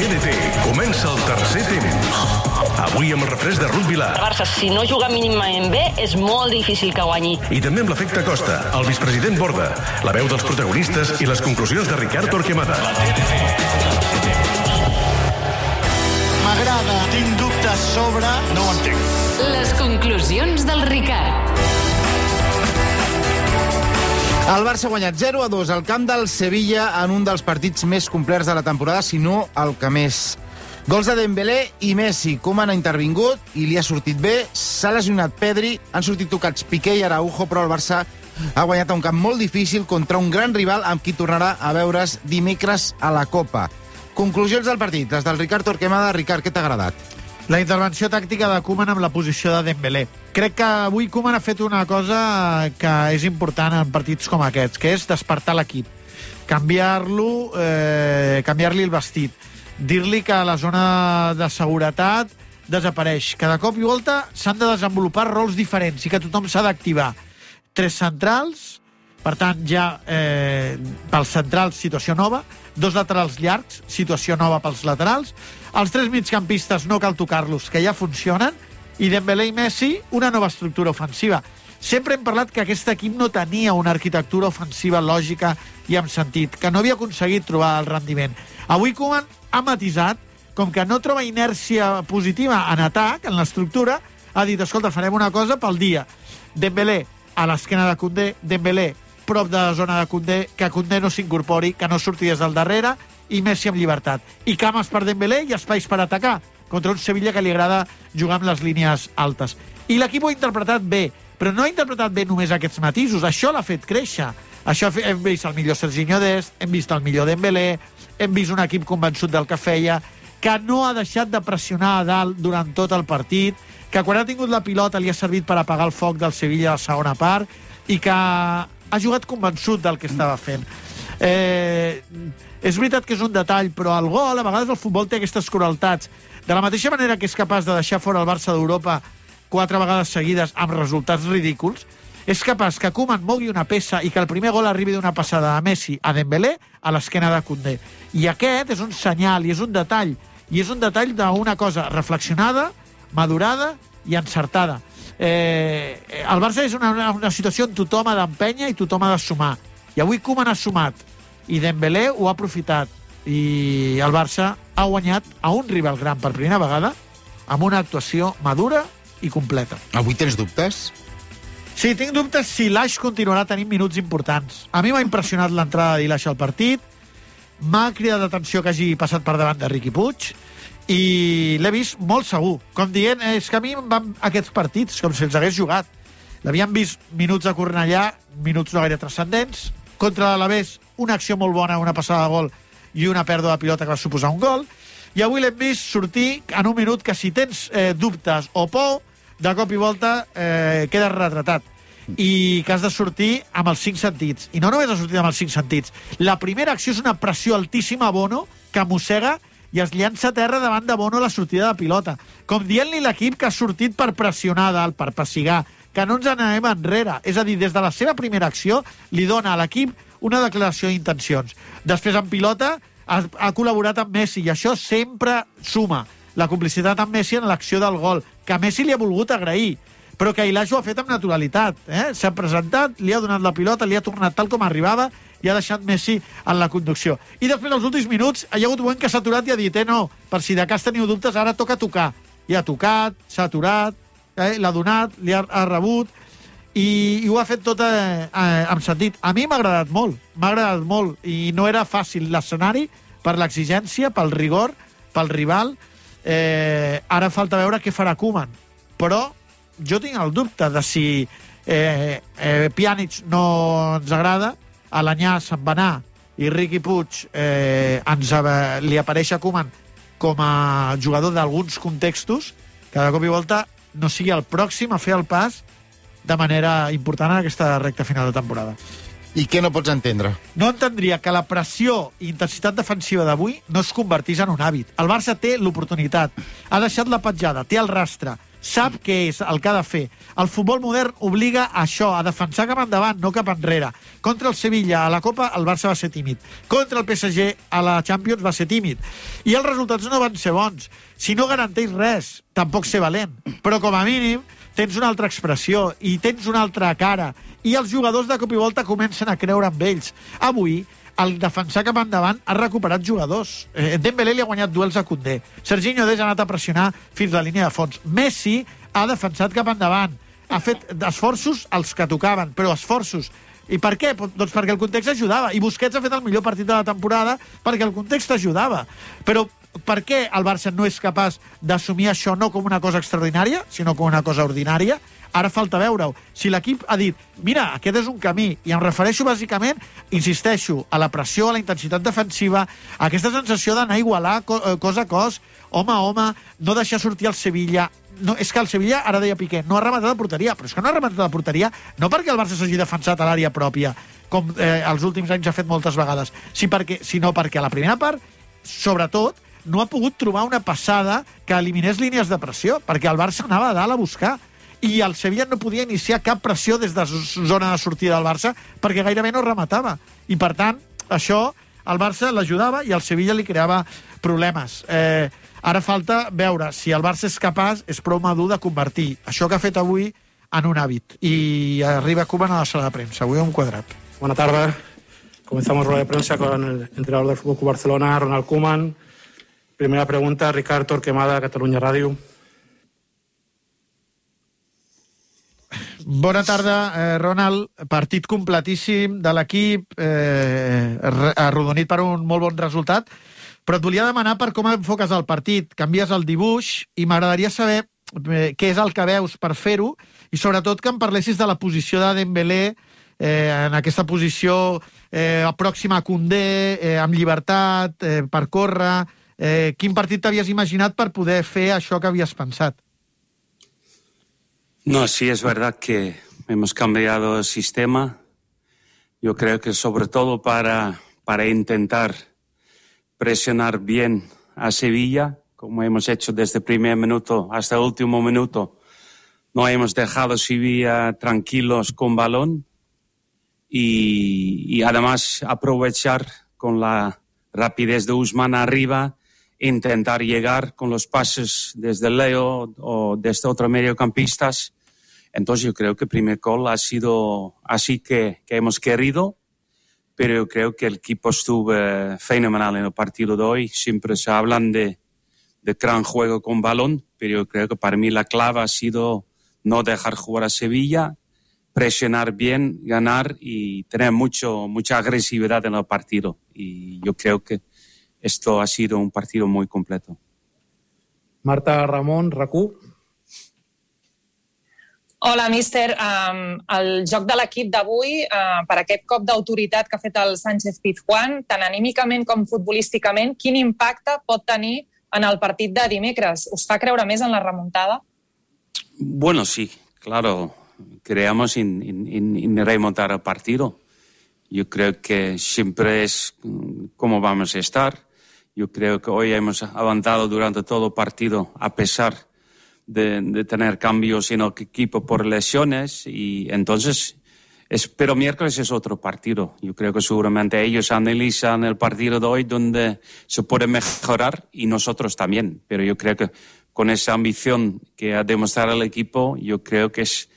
TDT comença el tercer temps. Avui amb el refresc de Ruth Vilar. El Barça, si no juga mínimament bé, és molt difícil que guanyi. I també amb l'efecte Costa, el vicepresident Borda, la veu dels protagonistes i les conclusions de Ricard Torquemada. M'agrada, tinc dubtes sobre... No ho entenc. Les conclusions del Ricard. El Barça ha guanyat 0-2 al camp del Sevilla en un dels partits més complets de la temporada, si no el que més. Gols de Dembélé i Messi. Koeman ha intervingut i li ha sortit bé. S'ha lesionat Pedri, han sortit tocats Piqué i Araujo, però el Barça ha guanyat a un camp molt difícil contra un gran rival amb qui tornarà a veure's dimecres a la Copa. Conclusions del partit, les del Ricard Torquemada. Ricard, què t'ha agradat? La intervenció tàctica de Koeman amb la posició de Dembélé. Crec que avui Koeman ha fet una cosa que és important en partits com aquests, que és despertar l'equip. Canviar-li el vestit. Dir-li que la zona de seguretat desapareix. Cada cop i volta s'han de desenvolupar rols diferents i que tothom s'ha d'activar. 3 centrals, per tant, ja pels centrals, situació nova. 2 laterals llargs, situació nova pels laterals. Els 3 migcampistes no cal tocar-los, que ja funcionen. I Dembélé i Messi, una nova estructura ofensiva. Sempre hem parlat que aquest equip no tenia una arquitectura ofensiva lògica i amb sentit, que no havia aconseguit trobar el rendiment. Avui Koeman ha matisat, com que no troba inèrcia positiva en atac, en l'estructura, ha dit, escolta, farem una cosa pel dia. Dembélé a l'esquena de Koundé, Dembélé prop de la zona de Koundé, que Koundé no s'incorpori, que no surti des del darrere, i Messi amb llibertat. I cames per Dembélé i espais per atacar, contra un Sevilla que li agrada jugar amb les línies altes. I l'equip ho ha interpretat bé, però no ha interpretat bé només aquests matisos, això l'ha fet créixer. Això hem vist el millor Serginho Dest, hem vist el millor Dembélé, hem vist un equip convençut del que feia, que no ha deixat de pressionar a dalt durant tot el partit, que quan ha tingut la pilota li ha servit per apagar el foc del Sevilla a la segona part, i que ha jugat convençut del que estava fent. És veritat que és un detall, però el gol, a vegades el futbol té aquestes crueltats. De la mateixa manera que és capaç de deixar fora el Barça d'Europa 4 vegades seguides amb resultats ridículs, és capaç que Koeman mogui una peça i que el primer gol arribi d'una passada de Messi a Dembélé a l'esquena de Koundé. I aquest és un senyal i és un detall. I és un detall d'una cosa reflexionada, madurada i encertada. El Barça és una situació on tothom ha d'empènyer i tothom ha de sumar. I avui Koeman ha sumat i Dembélé ho ha aprofitat. I el Barça ha guanyat a un rival gran per primera vegada amb una actuació madura i completa. Avui tens dubtes? Sí, tinc dubtes si l'Aix continuarà tenint minuts importants. A mi m'ha impressionat l'entrada d'Ilaix al partit, m'ha cridat l'atenció que hagi passat per davant de Riqui Puig i l'he vist molt segur, com dient, és que a mi em van aquests partits com si els hagués jugat. L'havíem vist minuts a Cornellà, minuts no gaire transcendents, contra l'Alavés una acció molt bona, una passada de gol i una pèrdua de pilota que va suposar un gol, i avui l'hem vist sortir en un minut que si tens dubtes o por, de cop i volta quedes retratat i que has de sortir amb els 5 sentits. I no només ha sortit amb els 5 sentits. La primera acció és una pressió altíssima a Bono, que mossega i es llança a terra davant de Bono a la sortida de pilota. Com dient-li l'equip que ha sortit per pressionar dalt, per pessigar, que no ens n'anem enrere. És a dir, des de la seva primera acció li dona a l'equip una declaració d'intencions. Després, en pilota, ha col·laborat amb Messi i això sempre suma. La complicitat amb Messi en l'acció del gol, que Messi li ha volgut agrair, però que Ilaix ho ha fet amb naturalitat. S'ha presentat, li ha donat la pilota, li ha tornat tal com arribava i ha deixat Messi en la conducció. I després, als últims minuts, hi ha hagut un moment que s'ha aturat i ha dit no, per si de cas teniu dubtes, ara toca tocar. I ha tocat, s'ha aturat, l'ha donat, li ha rebut, i ho ha fet tot amb sentit. A mi m'ha agradat molt, i no era fàcil l'escenari per l'exigència, pel rigor, pel rival. Ara falta veure què farà Koeman, però jo tinc el dubte de si Pjanic no ens agrada, Alenyà se'n va anar i Riqui Puig li apareix a Koeman com a jugador d'alguns contextos, que de cop i volta no sigui el pròxim a fer el pas de manera important en aquesta recta final de temporada. I què no pots entendre? No entendria que la pressió i intensitat defensiva d'avui no es convertís en un hàbit. El Barça té l'oportunitat, ha deixat la petjada, té el rastre, sap què és el que ha de fer. El futbol modern obliga a això, a defensar cap endavant, no cap enrere. Contra el Sevilla a la Copa el Barça va ser tímid. Contra el PSG a la Champions va ser tímid. I els resultats no van ser bons. Si no garanteix res, tampoc ser valent. Però com a mínim tens una altra expressió i tens una altra cara. I els jugadors de cop i volta comencen a creure en ells. Avui, el defensar cap endavant ha recuperat jugadors. Dembélé li ha guanyat duels a Koundé. Serginho Dest ha anat a pressionar fins a la línia de fons. Messi ha defensat cap endavant. Ha fet esforços els que tocaven, però esforços. I per què? Doncs perquè el context ajudava. I Busquets ha fet el millor partit de la temporada perquè el context ajudava. Però per què el Barça no és capaç d'assumir això no com una cosa extraordinària, sinó com una cosa ordinària? Ara falta veure-ho. Si l'equip ha dit, mira, aquest és un camí, i em refereixo bàsicament, insisteixo, a la pressió, a la intensitat defensiva, a aquesta sensació d'anar a igualar cos a cos, home a home, no deixar sortir el Sevilla. No, és que el Sevilla, ara deia Piqué, no ha rematat la porteria, però és que no ha rematat la porteria no perquè el Barça s'hagi defensat a l'àrea pròpia, com els últims anys ha fet moltes vegades, sinó perquè a la primera part, sobretot, no ha pogut trobar una passada que eliminés línies de pressió, perquè el Barça anava a dalt a buscar. I el Sevilla no podia iniciar cap pressió des de zona de sortida del Barça perquè gairebé no rematava. I, per tant, això al Barça l'ajudava i al Sevilla li creava problemes. Ara falta veure si el Barça és capaç, és prou madur de convertir això que ha fet avui en un hàbit. I arriba Koeman a la sala de premsa. Avui un quadrat. Buenas tardes. Comenzamos rueda de prensa con el entrenador del Fútbol Club Barcelona, Ronald Koeman. Primera pregunta, Ricard Torquemada, Catalunya Ràdio. Bona tarda, Ronald. Partit completíssim de l'equip, arrodonit per un molt bon resultat, però et volia demanar per com enfoques el partit. Canvies el dibuix i m'agradaria saber què és el que veus per fer-ho i sobretot que em parlessis de la posició de Dembélé en aquesta posició pròxima a Koundé, amb llibertat, per córrer. Quin partit t'havies imaginat per poder fer això que havies pensat? No, sí, es verdad que hemos cambiado el sistema. Yo creo que sobre todo para intentar presionar bien a Sevilla, como hemos hecho desde el primer minuto hasta el último minuto. No hemos dejado a Sevilla tranquilos con balón y además aprovechar con la rapidez de Ousmane arriba, intentar llegar con los pases desde Leo o desde otros mediocampistas. Entonces yo creo que el primer gol ha sido así que hemos querido, pero yo creo que el equipo estuvo fenomenal en el partido de hoy. Siempre se hablan de gran juego con balón, pero yo creo que para mí la clave ha sido no dejar jugar a Sevilla, presionar bien, ganar y tener mucha agresividad en el partido. Y yo creo que esto ha sido un partido muy completo. Marta Ramon, RAC1. Hola, míster. El joc de l'equip d'avui, per aquest cop d'autoritat que ha fet el Sánchez-Pizjuán, tant anímicament com futbolísticament, quin impacte pot tenir en el partit de dimecres? Us fa creure més en la remuntada? Bueno, sí, claro. Creamos en remontar el partido. Yo creo que siempre es como vamos a estar. Yo creo que hoy hemos avanzado durante todo el partido a pesar de tener cambios en el equipo por lesiones y entonces, pero miércoles es otro partido. Yo creo que seguramente ellos analizan el partido de hoy donde se puede mejorar y nosotros también, pero yo creo que con esa ambición que ha demostrado el equipo, yo creo que es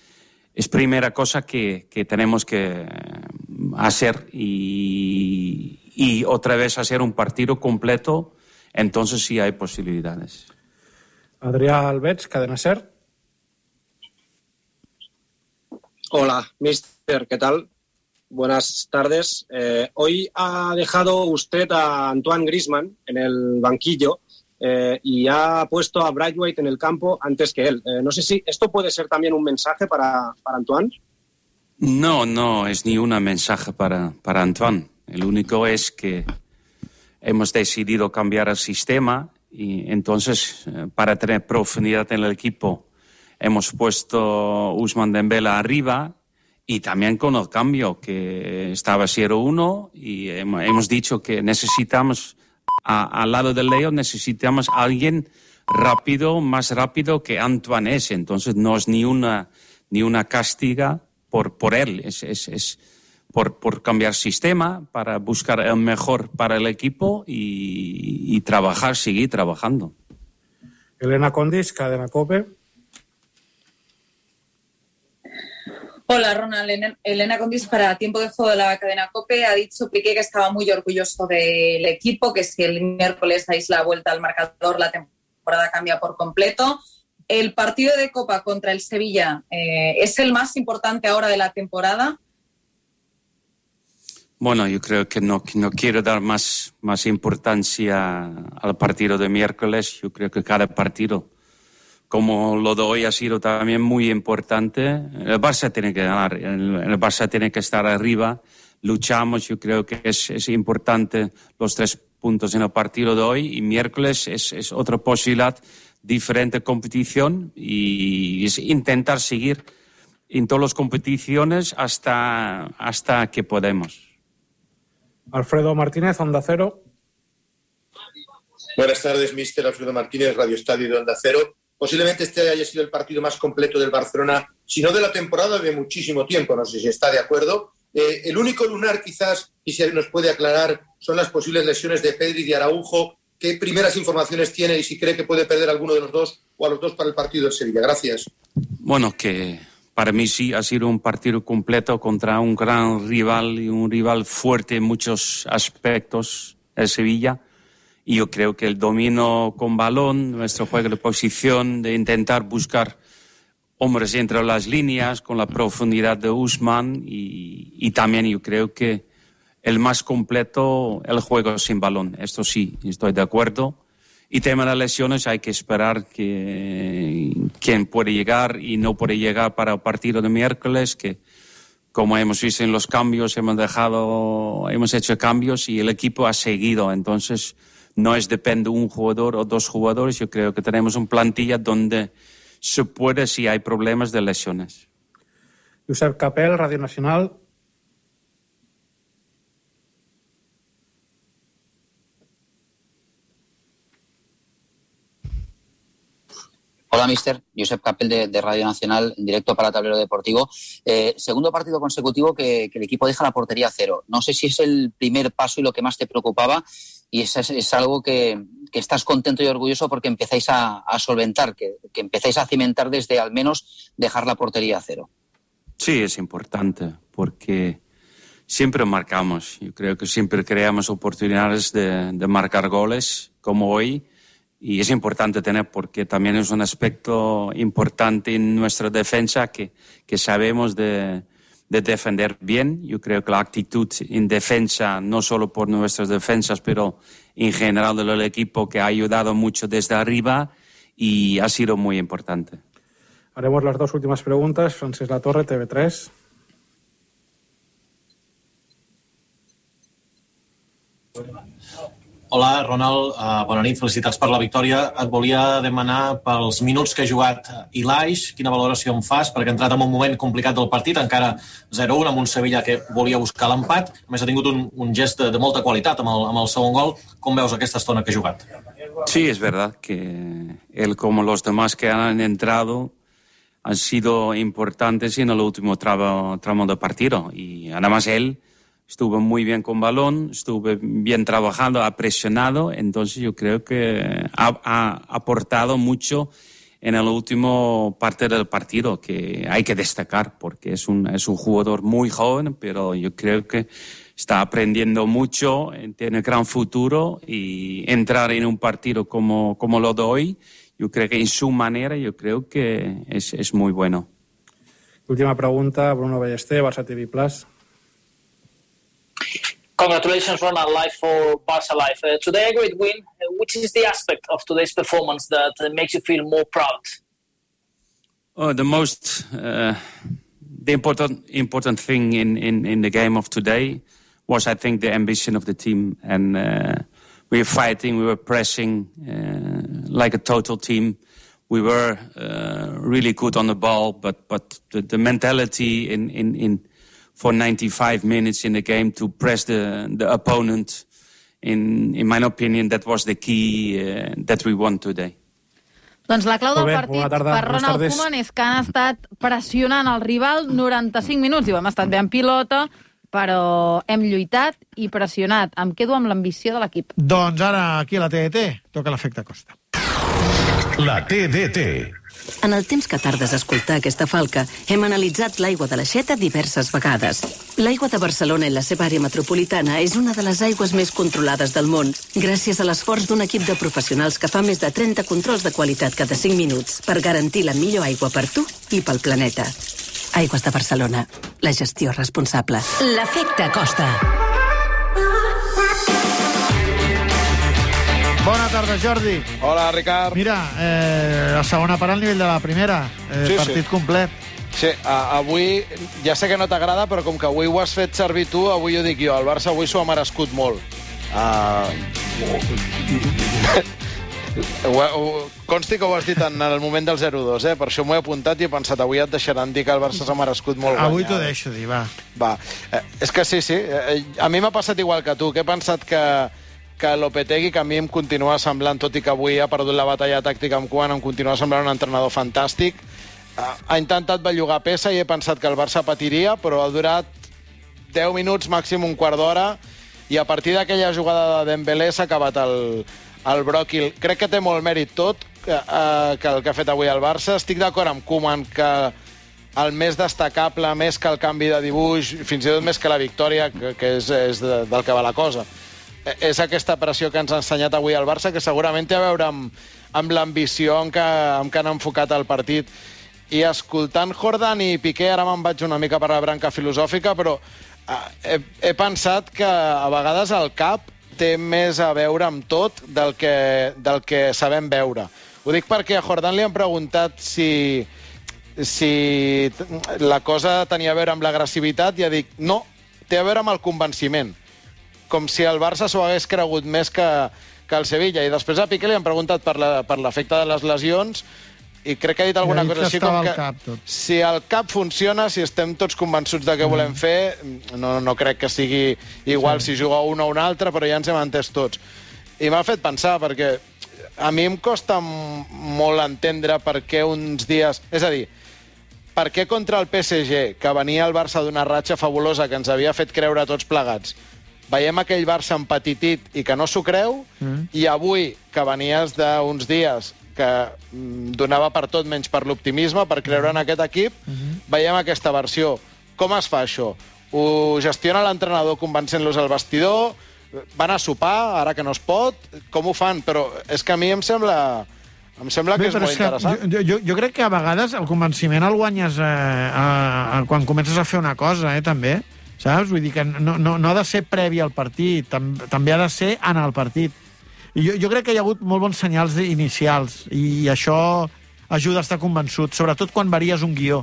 primera cosa que tenemos que hacer y otra vez hacer un partido completo, entonces sí hay posibilidades. Adrià Albets, Cadena SER. Hola, mister, ¿qué tal? Buenas tardes. Hoy ha dejado usted a Antoine Griezmann en el banquillo y ha puesto a Braithwaite en el campo antes que él. No sé si esto puede ser también un mensaje para Antoine. No es ni un mensaje para Antoine. El único es que hemos decidido cambiar el sistema y entonces para tener profundidad en el equipo hemos puesto Ousmane Dembélé arriba y también con el cambio que estaba 0-1 y hemos dicho que necesitamos al lado de Leo necesitamos a alguien más rápido que Antoine es. Entonces no es ni una castiga por él, es por cambiar sistema, para buscar el mejor para el equipo y seguir trabajando. Elena Condis, Cadena COPE. Hola, Ronald. Elena Condis para Tiempo de Juego de la cadena COPE. Ha dicho Piqué que estaba muy orgulloso del equipo, que si el miércoles dais la vuelta al marcador, la temporada cambia por completo. El partido de Copa contra el Sevilla es el más importante ahora de la temporada. Bueno, yo creo que no quiero dar más importancia al partido de miércoles. Yo creo que cada partido, como lo de hoy, ha sido también muy importante. El Barça tiene que ganar, el Barça tiene que estar arriba. Luchamos, yo creo que es importante los 3 puntos en el partido de hoy, y miércoles es otra posibilidad, diferente competición, y es intentar seguir en todas las competiciones hasta que podemos. Alfredo Martínez, Onda Cero. Buenas tardes, míster Alfredo Martínez, Radio Estadio de Onda Cero. Posiblemente este haya sido el partido más completo del Barcelona, si no de la temporada, de muchísimo tiempo. No sé si está de acuerdo. El único lunar, quizás, y si nos puede aclarar, son las posibles lesiones de Pedri y de Araujo. ¿Qué primeras informaciones tiene y si cree que puede perder alguno de los dos o a los dos para el partido del Sevilla? Gracias. Bueno, que para mí sí ha sido un partido completo contra un gran rival y un rival fuerte en muchos aspectos, el Sevilla. Y yo creo que el dominio con balón, nuestro juego de posición, de intentar buscar hombres entre las líneas, con la profundidad de Ousmane, y también yo creo que el más completo, el juego sin balón. Esto sí, estoy de acuerdo. Y tema de lesiones, hay que esperar quién puede llegar y no puede llegar para el partido de miércoles, que como hemos visto en los cambios, hemos hecho cambios y el equipo ha seguido. Entonces, no depende de un jugador o 2 jugadores. Yo creo que tenemos una plantilla donde se puede si hay problemas de lesiones. Josep Capel, Radio Nacional. Hola, mister. Josep Capel de Radio Nacional, en directo para Tablero Deportivo. Segundo partido consecutivo que el equipo deja la portería a 0. No sé si es el primer paso y lo que más te preocupaba, y es algo que estás contento y orgulloso porque empezáis a solventar, que empezáis a cimentar desde al menos dejar la portería a 0. Sí, es importante porque siempre marcamos. Yo creo que siempre creamos oportunidades de marcar goles, como hoy. Y es importante tener, porque también es un aspecto importante en nuestra defensa que sabemos de defender bien. Yo creo que la actitud en defensa, no solo por nuestras defensas, pero en general del equipo, que ha ayudado mucho desde arriba y ha sido muy importante. Haremos las 2 últimas preguntas. Francesc Latorre, TV3. Hola, Ronald, bona nit, felicitats per la victòria. Et volia demanar pels minuts que ha jugat Ilaix, quina valoració em fas, perquè ha entrat en un moment complicat del partit, encara 0-1 amb un Sevilla que volia buscar l'empat. A més, ha tingut un gest de molta qualitat amb el segon gol. Com veus aquesta estona que ha jugat? Sí, es verdad que él, como los demás que han entrado, han sido importantes en el último tramo de partido. Y además él estuvo muy bien con balón, estuvo bien trabajando, ha presionado. Entonces yo creo que ha aportado mucho en el último parte del partido, que hay que destacar, porque es un jugador muy joven, pero yo creo que está aprendiendo mucho, tiene gran futuro, y entrar en un partido como lo de hoy, yo creo que en su manera, yo creo que es muy bueno. Última pregunta, Bruno Ballester, Barça TV+. Congratulations, Ronald, live for Barca Live. Today a great win. Which is the aspect of today's performance that makes you feel more proud? The important thing in the game of today was, I think, the ambition of the team, and we were fighting, we were pressing like a total team. We were really good on the ball, but the mentality in for 95 minutes in the game to press the opponent, in my opinion, that was the key that we won today. Doncs la clau del Molt bé, partit bona tarda, per bones Ronald tardes. Koeman és que han estat pressionant el rival 95 minuts. Diu, hem estat bé en pilota, però hem lluitat i pressionat. Em quedo amb l'ambició de l'equip. Doncs ara, aquí a la TDT, toca l'efecte Costa. La TDT. En el temps que tardes a escoltar aquesta falca, hem analitzat l'aigua de l'Aixeta diverses vegades. L'aigua de Barcelona i la seva àrea metropolitana és una de les aigües més controlades del món, gràcies a l'esforç d'un equip de professionals que fa més de 30 controls de qualitat cada 5 minuts per garantir la millor aigua per tu i pel planeta. Aigües de Barcelona. La gestió responsable. L'efecte Costa. Bona tarda, Jordi. Hola, Ricard. Mira, la segona part al nivell de la primera. Partit complet. Sí, avui, ja sé que no t'agrada, però com que avui ho has fet servir tu, avui ho dic jo. El Barça avui s'ho ha merescut molt. Consti que ho has dit en el moment del 0-2, per això m'ho he apuntat i he pensat, avui et deixaran dir que el Barça s'ha merescut molt guanyar. Avui t'ho deixo dir, va. És que sí. A mi m'ha passat igual que tu, que he pensat que Lopetegui, que a mi em continua semblant, tot i que avui ha perdut la batalla tàctica amb Koeman, em continua semblant un entrenador fantàstic. Ha intentat bellugar peça i he pensat que el Barça patiria, però ha durat 10 minuts, màxim un quart d'hora, i a partir d'aquella jugada de Dembélé s'ha acabat el bròquil. Crec que té molt mèrit tot, que el que ha fet avui el Barça. Estic d'acord amb Koeman que el més destacable, més que el canvi de dibuix, fins i tot més que la victòria, que és del que va la cosa, és aquesta pressió que ens ha ensenyat avui el Barça, que segurament té a veure amb l'ambició amb què han enfocat el partit. I escoltant Jordan i Piqué, ara me'n vaig una mica per la branca filosòfica, però he pensat que a vegades el cap té més a veure amb tot del que sabem veure. Ho dic perquè a Jordan li han preguntat si la cosa tenia a veure amb l'agressivitat i ha dit no, té a veure amb el convenciment. Com si el Barça s'ho hagués cregut més que el Sevilla. I després a Piqué li han preguntat per l'efecte de les lesions i crec que ha dit alguna cosa així com que si el cap funciona, si estem tots convençuts de què volem fer, no crec que sigui igual si juga un o un altre, però ja ens hem entès tots. I m'ha fet pensar, perquè a mi em costa molt entendre per què uns dies... És a dir, per què contra el PSG, que venia el Barça d'una ratxa fabulosa que ens havia fet creure tots plegats, veiem aquell Barça empetitit i que no s'ho creu, i avui, que venies d'uns dies que donava per tot menys per l'optimisme, per creure en aquest equip, veiem aquesta versió. Com es fa això? Ho gestiona l'entrenador convencent-los al vestidor? Van a sopar, ara que no es pot? Com ho fan? Però és que a mi em sembla que és molt interessant. Jo crec que a vegades el convenciment el guanyes quan comences a fer una cosa, també. Saps? Vull dir que no ha de ser previ al partit, també ha de ser en el partit. I jo crec que hi ha hagut molt bons senyals inicials i això ajuda a estar convençut, sobretot quan varies un guió.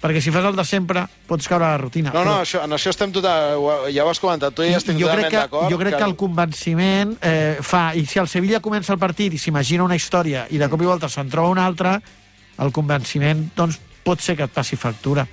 Perquè si fas el de sempre, pots caure a la rutina. No, en això estem ja ho has comentat tu i estic totalment d'acord. Jo crec que el convenciment fa... I si el Sevilla comença el partit i s'imagina una història i de cop i volta se'n troba una altra, el convenciment, doncs, pot ser que et passi factura.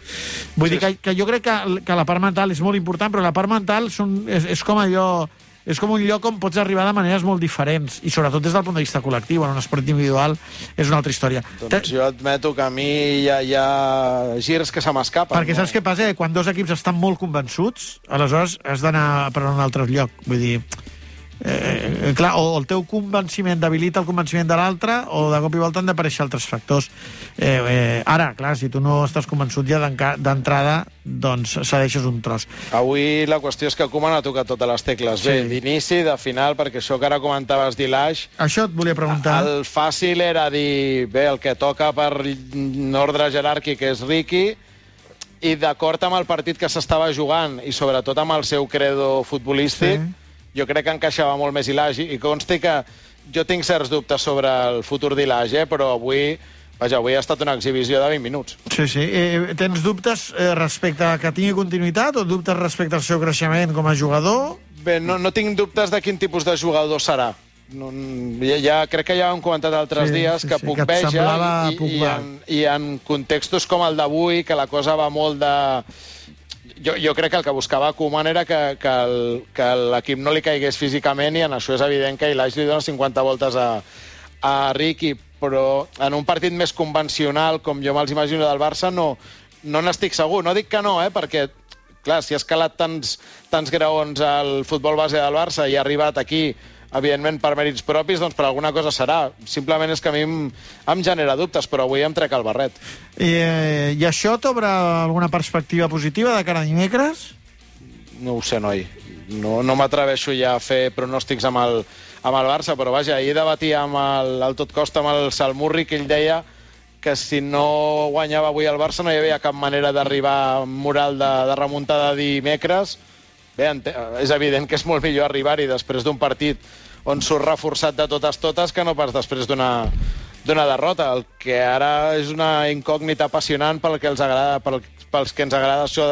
Vull dir que jo crec que la part mental és molt important, però la part mental és com allò... És com un lloc on pots arribar de maneres molt diferents, i sobretot des del punt de vista col·lectiu. En un esport individual és una altra història. Doncs jo admeto que a mi hi ha girs que se m'escapen. Perquè saps què passa? Quan dos equips estan molt convençuts, aleshores has d'anar per un altre lloc. Vull dir... clar, o el teu convenciment debilita el convenciment de l'altre, o de cop i volta han d'aparèixer altres factors. Ara, clar, si tu no estàs convençut ja d'entrada, doncs cedeixes un tros. Avui la qüestió és que Koeman ha tocat totes les tecles. Bé, d'inici, de final, perquè això que ara comentaves d'Ilaix... Això et volia preguntar. El fàcil era dir, bé, el que toca per ordre jeràrquic és Riqui, i d'acord amb el partit que s'estava jugant, i sobretot amb el seu credo futbolístic, jo crec que encaixava molt més Ilaix, i consti que jo tinc certs dubtes sobre el futur d'Ilaix, però avui ha estat una exhibició de 20 minuts. Sí. Tens dubtes respecte a que tingui continuïtat o dubtes respecte al seu creixement com a jugador? Bé, no tinc dubtes de quin tipus de jugador serà. Crec que ja ho hem comentat altres dies, que puc veja, i en contextos com el d'avui, que la cosa va molt de... Jo crec que el que buscava Koeman era que l'equip no li caigués físicament, i en això és evident que Ilaix li dona 50 voltes a Riqui. però en un partit més convencional, com jo me'ls imagino del Barça, no n'estic segur. No dic que no, perquè, clar, si ha escalat tants graons al futbol base del Barça i ha arribat aquí, evidentment, per mèrits propis, doncs per alguna cosa serà. Simplement és que a mi em genera dubtes, però avui em trec el barret. I això t'obre alguna perspectiva positiva de cara a dimecres? No ho sé, noi. No m'atreveixo ja a fer pronòstics amb el Barça, però vaja, ahir debatia al tot costa amb el Salmurri, que ell deia que si no guanyava avui el Barça no hi havia cap manera d'arribar amb moral de remuntada dimecres. Bé, és evident que és molt millor arribar-hi després d'un partit on surt reforçat de totes que no pas després d'una derrota. El que ara és una incògnita apassionant pels que ens agrada això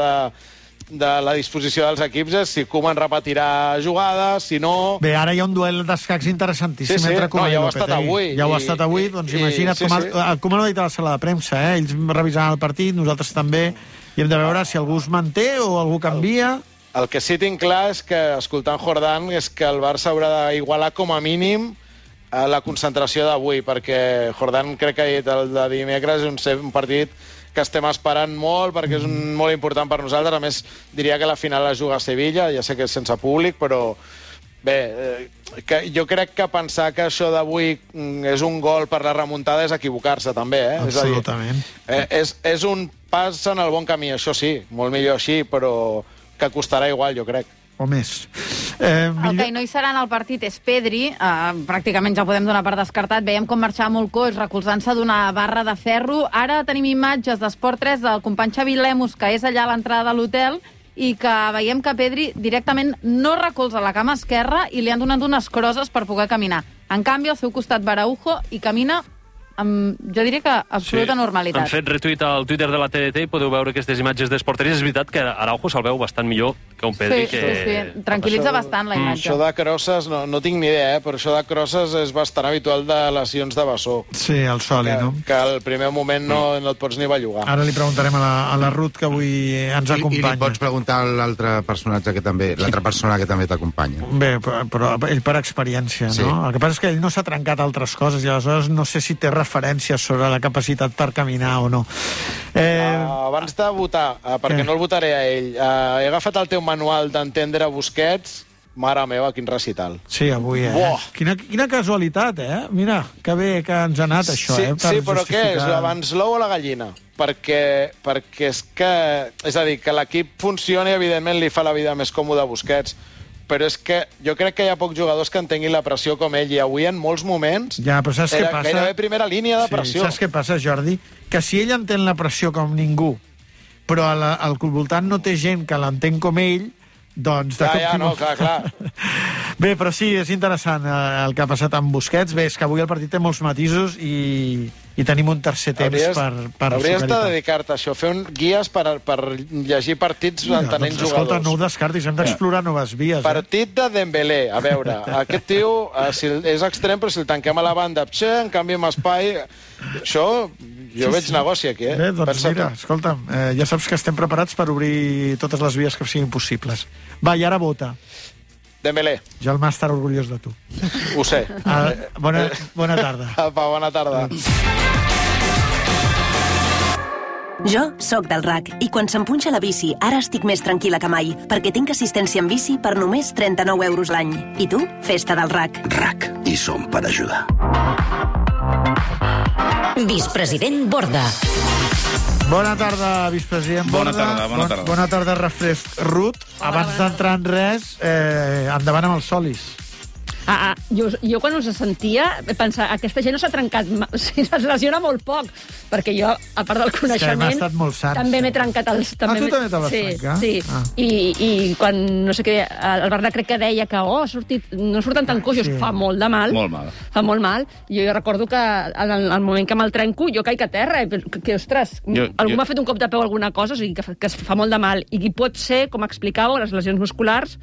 de la disposició dels equips és si Koeman repetirà jugades, si no... Bé, ara hi ha un duel d'escacs interessantíssim entre Koeman i Lopetegui. Ja ho ha estat avui, doncs imagina't com el Koeman ho ha dit a la sala de premsa, ells revisaran el partit, nosaltres també, i hem de veure si algú es manté o algú canvia. El que sí tinc clar és que, escoltant Jordan, és que el Barça haurà d'igualar com a mínim la concentració d'avui, perquè Jordan crec que ha dit el de dimecres és un partit que estem esperant molt, perquè és molt important per nosaltres. A més, diria que la final es juga a Sevilla, ja sé que és sense públic, però bé, jo crec que pensar que això d'avui és un gol per la remuntada és equivocar-se, també. Absolutament. És un pas en el bon camí, això sí, molt millor així, però que costarà igual, jo crec. O més. El que no hi serà en el partit és Pedri, pràcticament ja podem donar per descartat. Veiem com marxava molt coix, recolzant-se d'una barra de ferro. Ara tenim imatges d'Esport 3 del company Xavi Lemus, que és allà a l'entrada de l'hotel, i que veiem que Pedri directament no recolza la cama esquerra i li han donat unes crosses per poder caminar. En canvi, al seu costat Araujo i camina jo diria que absoluta normalitat. Han fet retuit al Twitter de la TDT i podeu veure aquestes imatges d'Esport 3. És veritat que Araujo se'l veu bastant millor que un Pedri. Sí. Tranquil·litza bastant la imatge. Això de crosses, no tinc ni idea, però això de crosses és bastant habitual de lesions de bessó. Sí, el sòlid, no? Que al primer moment no et pots ni bellugar. Ara li preguntarem a la Ruth, que avui ens acompanya. I li pots preguntar a l'altre personatge que també, l'altra persona que també t'acompanya. Bé, però ell per experiència, no? Sí. El que passa és que ell no s'ha trencat altres coses i aleshores no sé si té referències sobre la capacitat per caminar o no. Abans de votar, perquè no el votaré a ell, he agafat el teu manual d'entendre Busquets. Mare meva, quin recital. Sí, avui, Quina casualitat, Mira, que bé que ens ha anat això, Sí, però què és? Abans l'ou o la gallina? Perquè és que... És a dir, que l'equip funcioni, evidentment li fa la vida més còmoda a Busquets, però és que jo crec que hi ha pocs jugadors que entenguin la pressió com ell, i avui en molts moments però saps què passa? Gairebé primera línia de pressió. Saps què passa, Jordi? Que si ell entén la pressió com ningú, però al voltant no té gent que l'entén com ell, doncs... Clar. Bé, però sí, és interessant el que ha passat amb Busquets. Bé, és que avui el partit té molts matisos i tenim un tercer temps per hauries de dedicar-te a això, fer guies per llegir partits entenent jugadors. Escolta, no ho descartis, hem d'explorar noves vies. Partit de Dembélé, a veure, aquest tio és extrem, però si el tanquem a la banda, en canvi amb espai, això jo veig negoci aquí, Bé, doncs mira, escolta'm, ja saps que estem preparats per obrir totes les vies que siguin possibles. Va, i ara vota. Dembélé. Jo el màster orgullós de tu. Ho sé. Bona tarda. Apa, bona tarda. Jo sóc del RAC i quan se'm punxa la bici ara estic més tranquil·la que mai perquè tinc assistència en bici per només 39 euros l'any. I tu? Festa del RAC. RAC. I som per ajudar. Vicepresident Borda. Bona tarda, vicepresident Borda. Bona tarda. Bona tarda, refresc Ruth. Abans d'entrar en res, endavant amb els solis. Jo quan us sentia pensar, aquesta gent no s'ha trencat, es lesiona molt poc, perquè jo, a part del coneixement, també m'he trencat els... Tu també te vas trencar? Sí. I quan, no sé què, el Bernat crec que deia que no surten tan coixos, fa molt de mal. Molt mal. Fa molt mal. Jo recordo que en el moment que me'l trenco, jo caic a terra, que ostres, algú m'ha fet un cop de peu alguna cosa, o sigui, que es fa molt de mal. I pot ser, com explicàveu, les lesions musculars,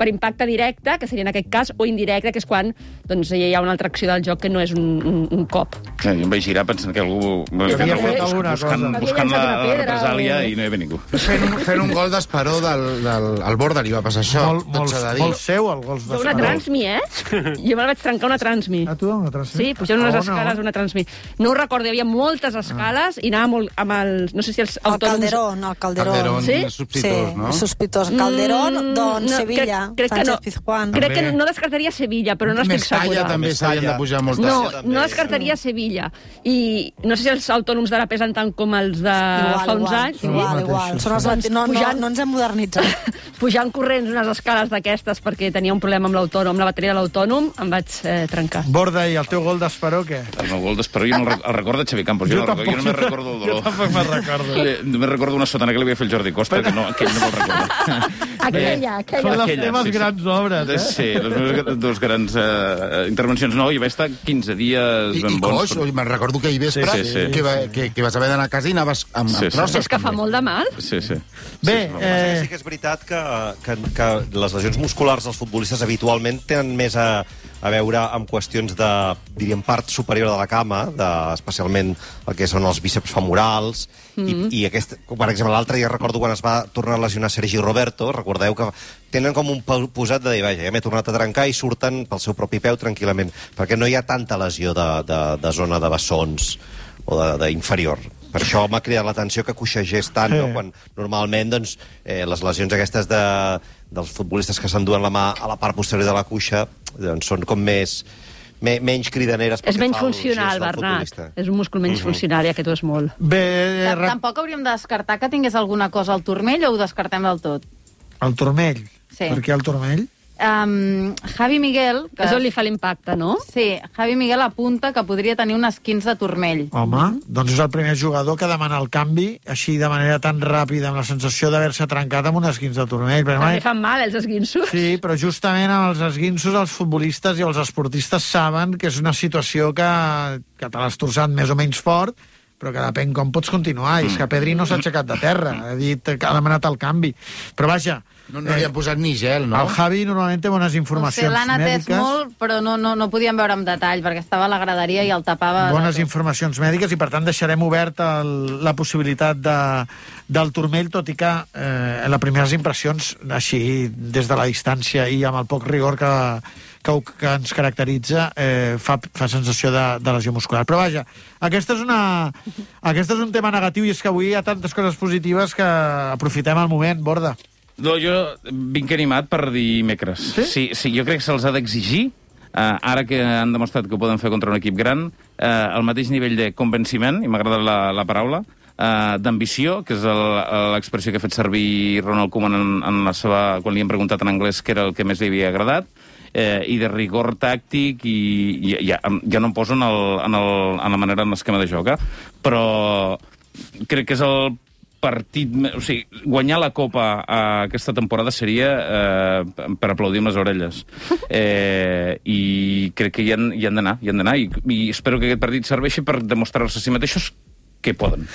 per impacte directe, que seria en aquest cas, o indirecte, que és quan doncs, hi ha una altra acció del joc que no és un cop. Jo em vaig girar pensant que algú buscant la represàlia i no hi havia ningú. Fent un gol d'Esperó al Borda li va passar això. Molt seu, el gol d'Esperó. Una transmi, Jo me la vaig trencar una transmi. A tu, una transmi? Sí, pujant unes escales una transmi. No ho recordo, hi havia moltes escales i anava molt amb els... No sé si els autònoms... El Calderón, sí? Sospitós, no? Sospitós. Calderón, Sevilla, Sánchez Pizjuán. Crec que no descartaria Sevilla, però no estic segura. Mestalla també s'havien de pujar moltes. No descartaria Sevilla. I no sé si els autònoms d'ara pesen tant com els de fa uns anys. Igual. No ens hem modernitzat. Pujant corrents unes escales d'aquestes perquè tenia un problema amb l'autònom, la bateria de l'autònom, em vaig trencar. Borda, i el teu gol d'Esperó, què? El meu gol d'Esperó, jo no el recordo de Xavi Campos. Jo només recordo el dolor. Jo tampoc me'n recordo. Només recordo una sotana que li havia fet el Jordi Costa, que aquell no me'l recordo. Aquella. Són les teves grans obres, Sí, les meves dues grans intervencions. No, hi va estar 15 dies ben bons. I me'n recordo que ahir vespre que vas haver d'anar a casa i anaves amb crosses. És que fa molt de mal. Sí. Bé, sí que és veritat que les lesions musculars dels futbolistes habitualment tenen més a veure amb qüestions de, diríem, part superior de la cama, especialment el que són els bíceps femorals, i aquest, per exemple, l'altre dia recordo quan es va tornar a lesionar Sergi Roberto, recordeu que tenen com un posat de dir, vaja, ja m'he tornat a trencar, i surten pel seu propi peu tranquil·lament, perquè no hi ha tanta lesió de zona de bessons o d'inferior. Per això m'ha cridat l'atenció que coixegés tant, no? Quan normalment doncs, les lesions aquestes dels futbolistes que s'enduen la mà a la part posterior de la cuixa doncs, són com menys cridaneres. És menys funcional, Bernat. És un múscul menys funcional, i aquest ho és molt. Tampoc hauríem de descartar que tingués alguna cosa al turmell, o ho descartem del tot? El turmell? Sí. Per què el turmell? Javi Miguel... És on li fa l'impacte, no? Sí, Javi Miguel apunta que podria tenir un esquins de turmell. Home, doncs és el primer jugador que demana el canvi així de manera tan ràpida, amb la sensació d'haver-se trencat amb un esquins de turmell. També fan mal, els esguinços. Sí, però justament amb els esguinços els futbolistes i els esportistes saben que és una situació que te l'has torçat més o menys fort, però que depèn com pots continuar. I és que Pedri no s'ha aixecat de terra, ha demanat el canvi. Però vaja... No li han posat ni gel, no? El Javi normalment té bones informacions mèdiques. L'han atès molt, però no podíem veure amb detall, perquè estava a la graderia i el tapava... Bones informacions mèdiques, i per tant deixarem oberta la possibilitat del turmell, tot i que les primeres impressions, així, des de la distància i amb el poc rigor que ens caracteritza, fa sensació de lesió muscular. Però vaja, aquest és un tema negatiu, i és que avui hi ha tantes coses positives que aprofitem el moment, Borda. No, jo vinc animat per dimecres. Sí, jo crec que se'ls ha d'exigir, ara que han demostrat que ho poden fer contra un equip gran, el mateix nivell de convenciment, i m'ha agradat la paraula, d'ambició, que és l'expressió que ha fet servir Ronald Koeman quan li hem preguntat en anglès què era el que més li havia agradat, i de rigor tàctic, i ja no em poso en la manera, en l'esquema de joc, però crec que és el partit... O sigui, guanyar la Copa aquesta temporada seria per aplaudir amb les orelles. I crec que hi han d'anar, i espero que aquest partit serveixi per demostrar-se a si mateixos que poden.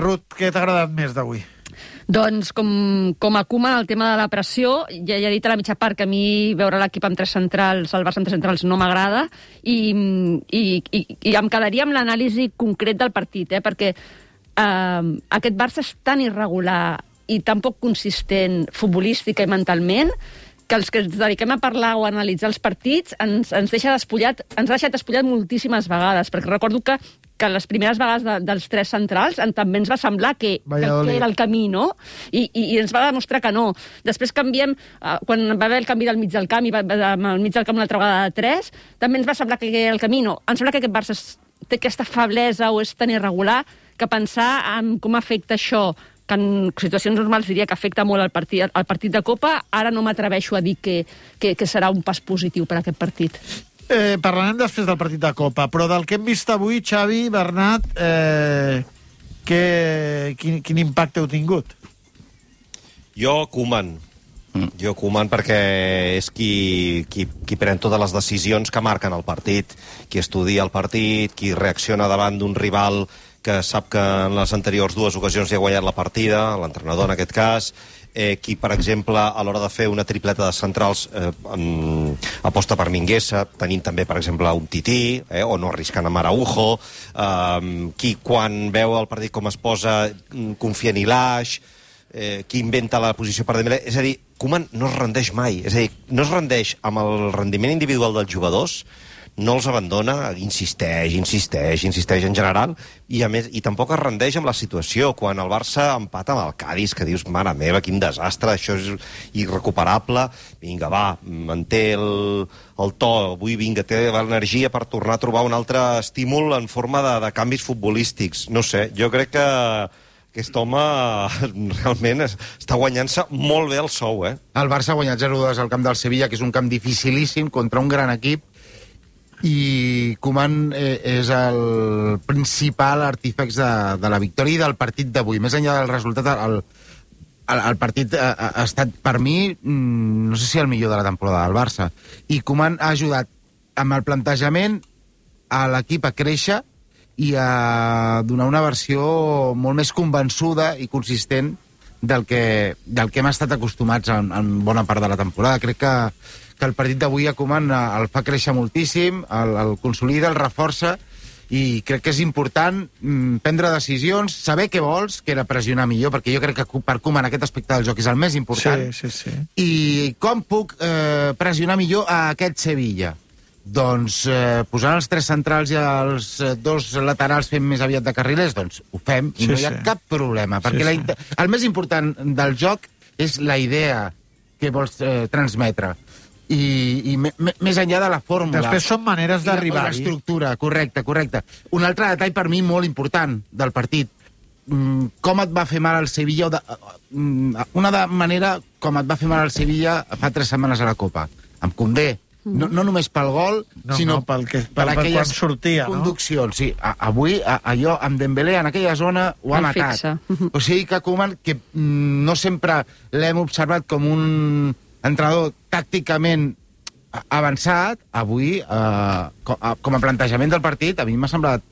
Ruth, què t'ha agradat més d'avui? Doncs, com a Koeman, el tema de la pressió, ja he dit a la mitja part que a mi veure l'equip amb tres centrals, el Barça amb tres centrals, no m'agrada, i em quedaria amb l'anàlisi concret del partit, perquè aquest Barça és tan irregular i tan poc consistent futbolística i mentalment que els que ens dediquem a parlar o a analitzar els partits ens ha deixat despullat moltíssimes vegades, perquè recordo que les primeres vegades dels tres centrals també ens va semblar que era el camí, no? I ens va demostrar que no. Després canviem, quan va haver el canvi del mig del camp, i al mig del camp una altra vegada de tres, també ens va semblar que era el camí, no. Em sembla que aquest Barça té aquesta feblesa o és tan irregular que pensar en com afecta això, que en situacions normals diria que afecta molt el partit de Copa, ara no m'atreveixo a dir que serà un pas positiu per a aquest partit. Parlarem després del partit de Copa, però del que hem vist avui, Xavi, Bernat, quin impacte heu tingut? Jo, Koeman, perquè és qui pren totes les decisions que marquen el partit, qui estudia el partit, qui reacciona davant d'un rival que sap que en les anteriors dues ocasions ja ha guanyat la partida, l'entrenador en aquest cas, qui, per exemple, a l'hora de fer una tripleta de centrals aposta per Mingueza, tenint també, per exemple, un Tití, o no arriscant amb Araujo, qui, quan veu el partit com es posa, confia en Ilaix, qui inventa la posició per Dembélé. És a dir, Koeman no es rendeix mai. És a dir, no es rendeix amb el rendiment individual dels jugadors, no els abandona, insisteix en general, i a més, i tampoc es rendeix amb la situació. Quan el Barça empata amb el Cádiz, que dius, mare meva, quin desastre, això és irrecuperable, vinga, va, manté el to, avui, vinga, té l'energia per tornar a trobar un altre estímul en forma de canvis futbolístics. No sé, jo crec que aquest home realment està guanyant-se molt bé el sou, El Barça ha guanyat 0-2 al camp del Sevilla, que és un camp dificilíssim contra un gran equip, i Koeman és el principal artífex de la victòria i del partit d'avui. Més enllà del resultat, el partit ha estat, per mi, no sé si el millor de la temporada del Barça. I Koeman ha ajudat amb el plantejament a l'equip a créixer i a donar una versió molt més convençuda i consistent del que hem estat acostumats en bona part de la temporada. Crec que el partit d'avui a Koeman el fa créixer moltíssim, el consolida, el reforça, i crec que és important prendre decisions, saber què vols, que era pressionar millor, perquè jo crec que per Koeman aquest aspecte del joc és el més important. Sí. I com puc pressionar millor a aquest Sevilla? Doncs posant els 3 centrals i els 2 laterals fent més aviat de carrilers, doncs ho fem i no hi ha cap problema, perquè el més important del joc és la idea que vols transmetre. I més enllà de la fórmula. Després són maneres d'arribar-hi. L'estructura, correcte. Un altre detall per mi molt important del partit. Com et va fer mal el Sevilla, una manera com et va fer mal el Sevilla fa 3 setmanes a la Copa, amb Koundé. No només pel gol, sinó per aquelles conduccions. Sí, avui, allò, amb Dembélé, en aquella zona, ho ha matat. O sigui que Koeman, que no sempre l'hem observat com un entrenador tàcticament avançat, avui, com a plantejament del partit, a mi m'ha semblat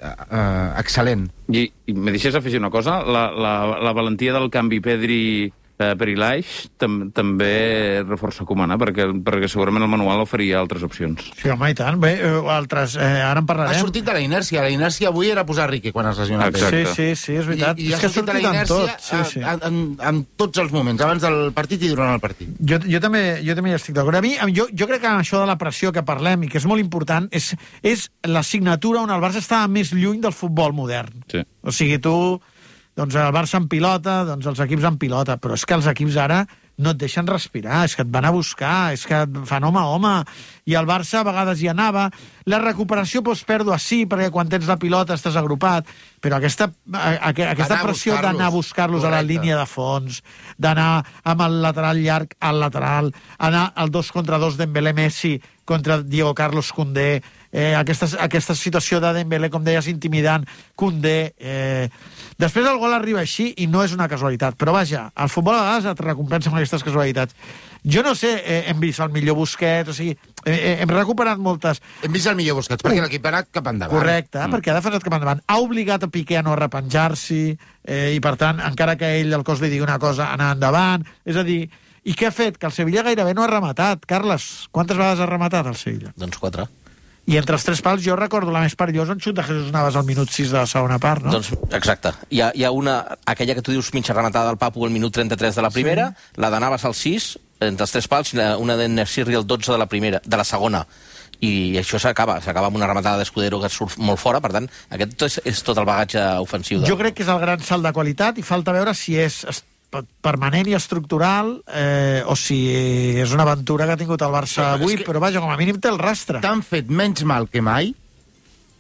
excel·lent. I me deixes afegir una cosa? La valentia del canvi Pedri per Ilaix també reforça Koeman, perquè segurament el manual oferia altres opcions. Sí, home, i tant. Bé, altres, ara en parlarem. Ha sortit de la inèrcia. La inèrcia avui era posar Riqui quan es lesionava. Sí, és veritat. I ha sortit de la inèrcia en tots els moments, abans del partit i durant el partit. Jo també hi estic d'acord. A mi, jo crec que això de la pressió que parlem, i que és molt important, és la signatura on el Barça està més lluny del futbol modern. Sí. O sigui, tu... Doncs el Barça en pilota, doncs els equips en pilota, però és que els equips ara no et deixen respirar, és que et van a buscar, és que et fan home a home, i el Barça a vegades hi anava. La recuperació pots pèrdua, sí, perquè quan tens la pilota estàs agrupat, però aquesta pressió d'anar a buscar-los a la línia de fons, d'anar amb el lateral llarg al lateral, anar al 2 contra 2 Dembélé-Messi contra Diego Carlos Koundé, aquesta situació de Dembélé, com deies, intimidant Koundé. Després el gol arriba així i no és una casualitat, però vaja, el futbol a vegades et recompensa amb aquestes casualitats. Jo no sé, hem vist el millor Busquets, o sigui, hem recuperat moltes... Hem vist el millor Busquets perquè l'equip ha anat cap endavant. Correcte, perquè ha defensat cap endavant. Ha obligat a Piqué a no arrepenjar-s'hi, i per tant, encara que ell el cos li digui una cosa, anar endavant. És a dir, i què ha fet? Que el Sevilla gairebé no ha rematat. Carles, quantes vegades ha rematat el Sevilla? Doncs 4. I entre els 3 pals jo recordo la més perillosa en xut de Jesús Navas al minut 6 de la segona part, no? Doncs, exacte. Hi ha una, aquella que tu dius mitja rematada del Papu al minut 33 de la primera, la de Navas al 6, entre els 3 pals, i una de Nesirri al 12 de la segona. I això s'acaba amb una rematada d'Escudero que surt molt fora, per tant, aquest és tot el bagatge ofensiu. Jo crec que és el gran salt de qualitat i falta veure si és permanent i estructural o si és una aventura que ha tingut el Barça avui, però vaja, com a mínim té el rastre. T'han fet menys mal que mai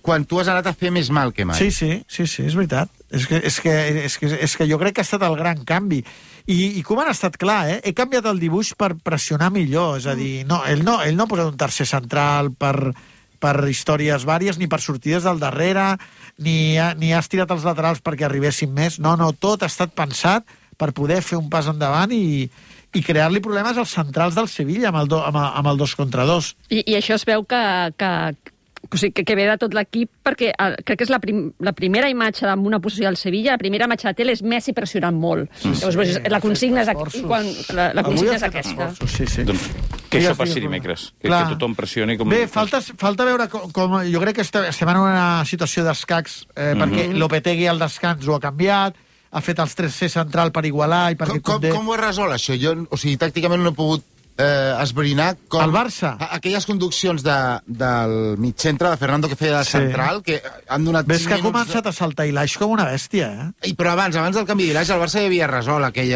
quan tu has anat a fer més mal que mai. Sí, és veritat. És que jo crec que ha estat el gran canvi. I Koeman ha estat clar, he canviat el dibuix per pressionar millor, és a dir, ell no ha posat un tercer central per històries vàries, ni per sortides del darrere, ni ha estirat els laterals perquè arribessin més. No, tot ha estat pensat per poder fer un pas endavant i crear-li problemes als centrals del Sevilla amb el 2 contra 2. I això es veu que o sigui, que ve de tot l'equip, perquè crec que és la primera imatge amb una posició del Sevilla, la primera imatge de tele és Messi pressionant molt. Llavors, la consigna és aquesta. Doncs que això passi dimecres, que tothom pressioni com... Bé, falta veure com... Jo crec que estem en una situació d'escacs, perquè Lopetegui al descans ho ha canviat, ha fet els 3C central per igualar... Com ho has resolt, això? Jo, o sigui, tàcticament no he pogut esbrinar com... El Barça? Aquelles conduccions del mitjcentre de Fernando que feia de central, que han donat 5 minuts... Ves que ha començat a saltar Ilaix com una bèstia, Però abans del canvi d'Ilaix, el Barça ja havia resolt aquell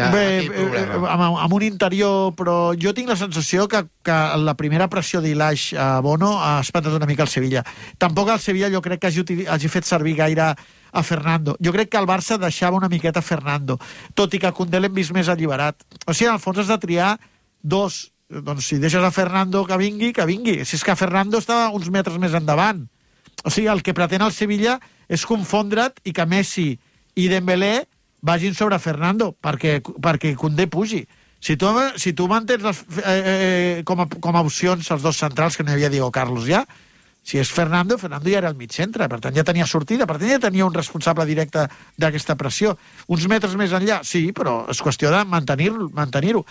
problema. Amb un interior, però jo tinc la sensació que la primera pressió d'Ilaix a Bono ha espantat una mica el Sevilla. Tampoc el Sevilla jo crec que hagi fet servir gaire a Fernando. Jo crec que el Barça deixava una miqueta a Fernando, tot i que Koundé l'hem vist més alliberat. O sigui, al fons has de triar dos. Doncs si deixes a Fernando que vingui, que vingui. Si és que Fernando estava uns metres més endavant. O sigui, el que pretén el Sevilla és confondre't i que Messi i Dembélé vagin sobre Fernando perquè Koundé pugi. Si tu mantens com a opcions els dos centrals, que no hi havia Diego Carlos ja, si és Fernando ja era al mig centre, per tant ja tenia sortida, per tant ja tenia un responsable directe d'aquesta pressió. Uns metres més enllà, sí, però és qüestió de mantenir-ho.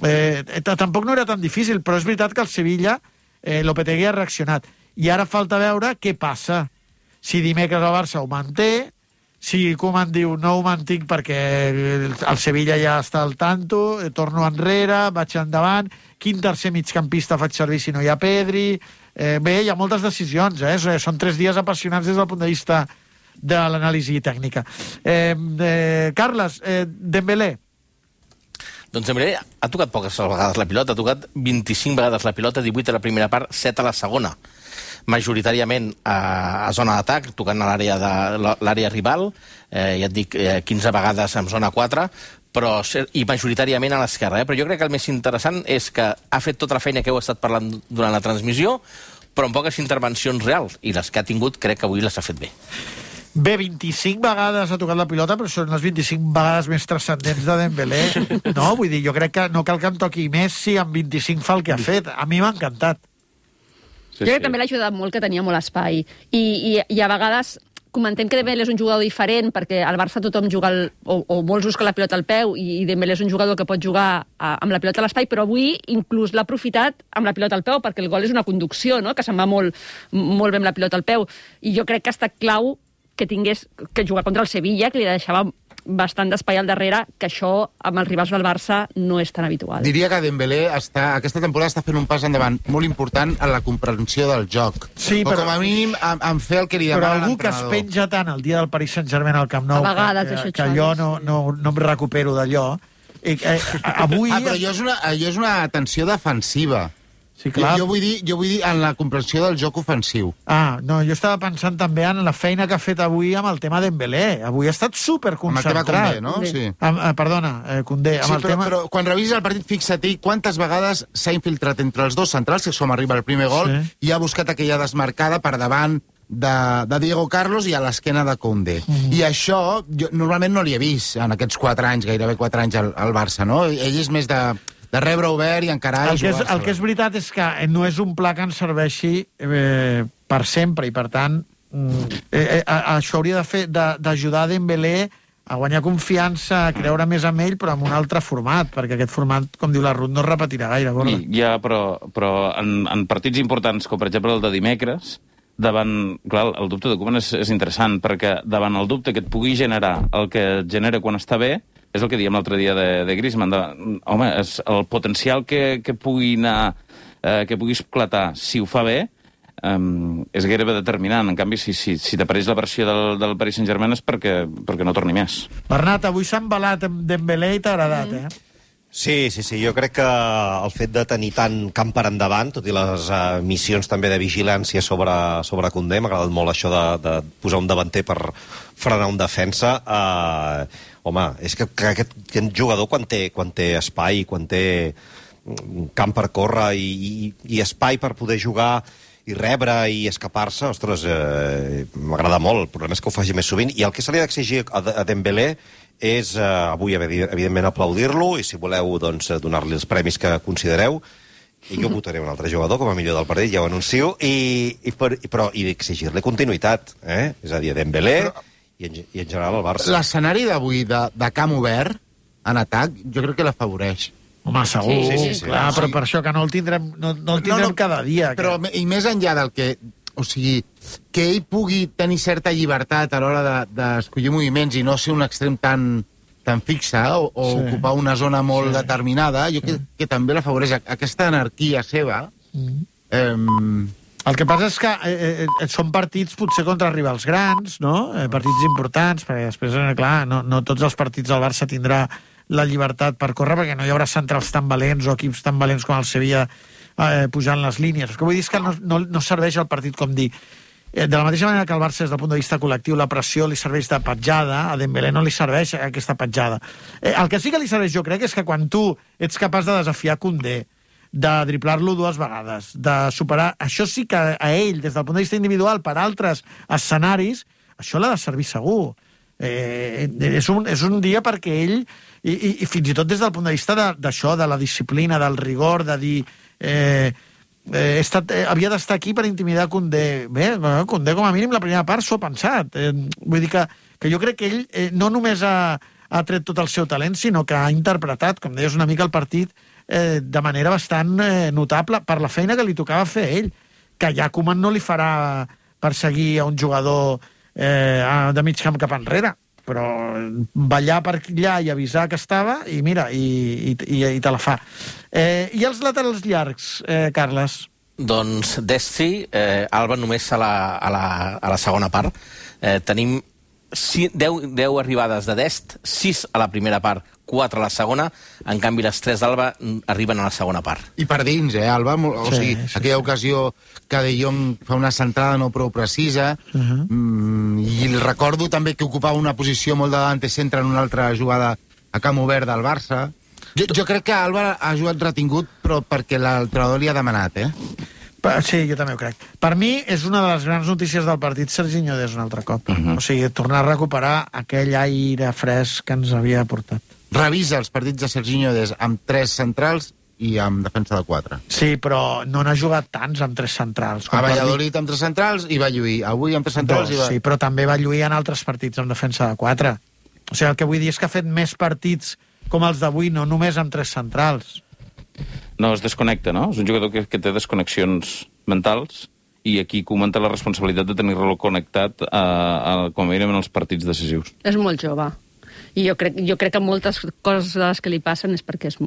Tampoc no era tan difícil, però és veritat que el Sevilla, Lopetegui ha reaccionat. I ara falta veure què passa. Si dimecres el Barça ho manté, si Koeman diu no ho mantinc perquè el Sevilla ja està al tanto, torno enrere, vaig endavant, quin tercer migcampista faig servir si no hi ha Pedri... Bé, hi ha moltes decisions, són 3 dies apassionants des del punt de vista de l'anàlisi tècnica. Carles, Dembélé. Doncs Dembélé ha tocat poques vegades la pilota, ha tocat 25 vegades la pilota, 18 a la primera part, 7 a la segona. Majoritàriament a zona d'atac, tocant a l'àrea rival, ja et dic, 15 vegades en zona 4, i majoritàriament a l'esquerra. Però jo crec que el més interessant és que ha fet tota la feina que heu estat parlant durant la transmissió, però amb poques intervencions reals, i les que ha tingut crec que avui les ha fet bé. Bé, 25 vegades ha tocat la pilota, però són les 25 vegades més transcendents de Dembélé. No, vull dir, jo crec que no cal que em toqui Messi, amb 25 fa el que ha fet. A mi m'ha encantat. Jo crec que també l'ha ajudat molt, que tenia molt espai. I a vegades comentem que Dembélé és un jugador diferent, perquè al Barça tothom juga, o molts busquen la pilota al peu, i Dembélé és un jugador que pot jugar amb la pilota a l'espai, però avui inclús l'ha aprofitat amb la pilota al peu, perquè el gol és una conducció, no?, que se'n va molt bé amb la pilota al peu. I jo crec que ha estat clau que tingués que jugar contra el Sevilla, que li deixava bastant d'espai al darrere, que això amb els rivals del Barça no és tan habitual. Diria que Dembélé aquesta temporada està fent un pas endavant molt important en la comprensió del joc. Sí, però com a mínim en fer el que li demana l'entrenador. Però algú que es penja tant el dia del Paris Saint-Germain al Camp Nou, que allò no em recupero d'allò. Avui... però allò és una tensió defensiva. Sí, clar. Jo vull dir en la comprensió del joc ofensiu. No, jo estava pensant també en la feina que ha fet avui amb el tema Dembélé. Avui ha estat superconcentrat. Amb el tema Koundé, no? Sí. Perdona, Koundé. Sí, però quan revisis el partit, fixa't quantes vegades s'ha infiltrat entre els dos centrals, que és com arriba el primer gol, i ha buscat aquella desmarcada per davant de Diego Carlos i a l'esquena de Koundé. I això, jo normalment no l'hi he vist en aquests 4 anys, gairebé 4 anys al Barça, no? Ell és més de rebre obert i encarar i jugar. El que és veritat és que no és un pla que ens serveixi per sempre, i per tant això hauria d'ajudar Dembélé a guanyar confiança, a creure més en ell, però en un altre format, perquè aquest format, com diu la Ruth, no es repetirà gaire. Ja, però en partits importants, com per exemple el de dimecres, davant, clar, el dubte de Koeman és interessant, perquè davant el dubte que et pugui generar el que et genera quan està bé, és el que diem l'altre dia de Griezmann. Home, el potencial que pugui anar, que pugui esclatar si ho fa bé, és gairebé determinant. En canvi, si t'apareix la versió del Paris Saint-Germain és perquè no torni més. Bernat, avui s'ha embalat amb Dembélé i t'ha agradat, Sí, jo crec que el fet de tenir tant camp per endavant, tot i les missions també de vigilància sobre Koundé, m'ha agradat molt això de posar un davanter per frenar un defensa. Home, és que aquest jugador quan té espai, quan té camp per córrer i espai per poder jugar i rebre i escapar-se, ostres, m'agrada molt. El problema és que ho faci més sovint. I el que se li ha d'exigir a Dembélé és avui, evidentment, aplaudir-lo, i si voleu, doncs, donar-li els premis que considereu, i jo votaré un altre jugador com a millor del partit, ja ho anuncio, i exigir-li continuïtat, és a dir, Dembélé i en general el Barça. L'escenari d'avui de camp obert en atac, jo crec que l'afavoreix. Home, segur, Sí. clar, però per això que no el tindrem, no el tindrem cada dia. Però, i més enllà del que... O sigui, que ell pugui tenir certa llibertat a l'hora d'escollir moviments i no ser un extrem tan fixe o ocupar una zona molt determinada, jo crec que també l'afavoreix aquesta anarquia seva. El que passa és que són partits potser contra rivals grans, no? Partits importants, perquè després, clar, no tots els partits del Barça tindrà la llibertat per córrer, perquè no hi haurà centrals tan valents o equips tan valents com el Sevilla pujant les línies. El que vull dir és que no serveix el partit, com dir. De la mateixa manera que el Barça, des del punt de vista col·lectiu, la pressió li serveix de petjada, a Dembélé no li serveix aquesta petjada. El que sí que li serveix, jo crec, és que quan tu ets capaç de desafiar Koundé, de driblar-lo 2 vegades, de superar... Això sí que a ell, des del punt de vista individual, per altres escenaris, això l'ha de servir segur. És un dia perquè ell, i fins i tot des del punt de vista d'això, de la disciplina, del rigor, de dir... havia d'estar aquí per intimidar Koundé. Bé, Koundé com a mínim la primera part s'ho ha pensat. Vull dir que jo crec que ell no només ha tret tot el seu talent, sinó que ha interpretat, com deies, una mica el partit de manera bastant notable per la feina que li tocava fer a ell, que ja Koeman no li farà perseguir a un jugador de mig camp cap enrere, però ballar per allà i avisar que estava, i mira, i te la fa. I els laterals llargs, Carles? Doncs Desti, Alba només a la segona part. Tenim 10 arribades de Dest, 6 a la primera part, 4 a la segona, en canvi les 3 d'Alba arriben a la segona part. I per dins, Alba? O sigui, aquella ocasió que De Jong fa una centrada no prou precisa, i recordo també que ocupava una posició molt de davant centre en una altra jugada a camp obert del Barça. Jo crec que Alba ha jugat retingut, però perquè l'entrenador li ha demanat, Sí, jo també ho crec. Per mi és una de les grans notícies del partit Serginho Dest un altre cop. O sigui, tornar a recuperar aquell aire fresc que ens havia portat. Revisa els partits de Serginho Dest amb 3 centrals i amb defensa de 4. Sí, però no n'ha jugat tants amb 3 centrals. A Valladolid amb 3 centrals i va lluir. Avui amb 3 centrals i va... Sí, però també va lluir en altres partits amb defensa de 4. O sigui, el que vull dir és que ha fet més partits com els d'avui, no només amb 3 centrals. No, es desconnecta, no? És un jugador que té desconnexions mentals i aquí comenta la responsabilitat de tenir-lo connectat com a mínim en els partits decisius. És molt jove. I jo crec que moltes coses que li passen és perquè és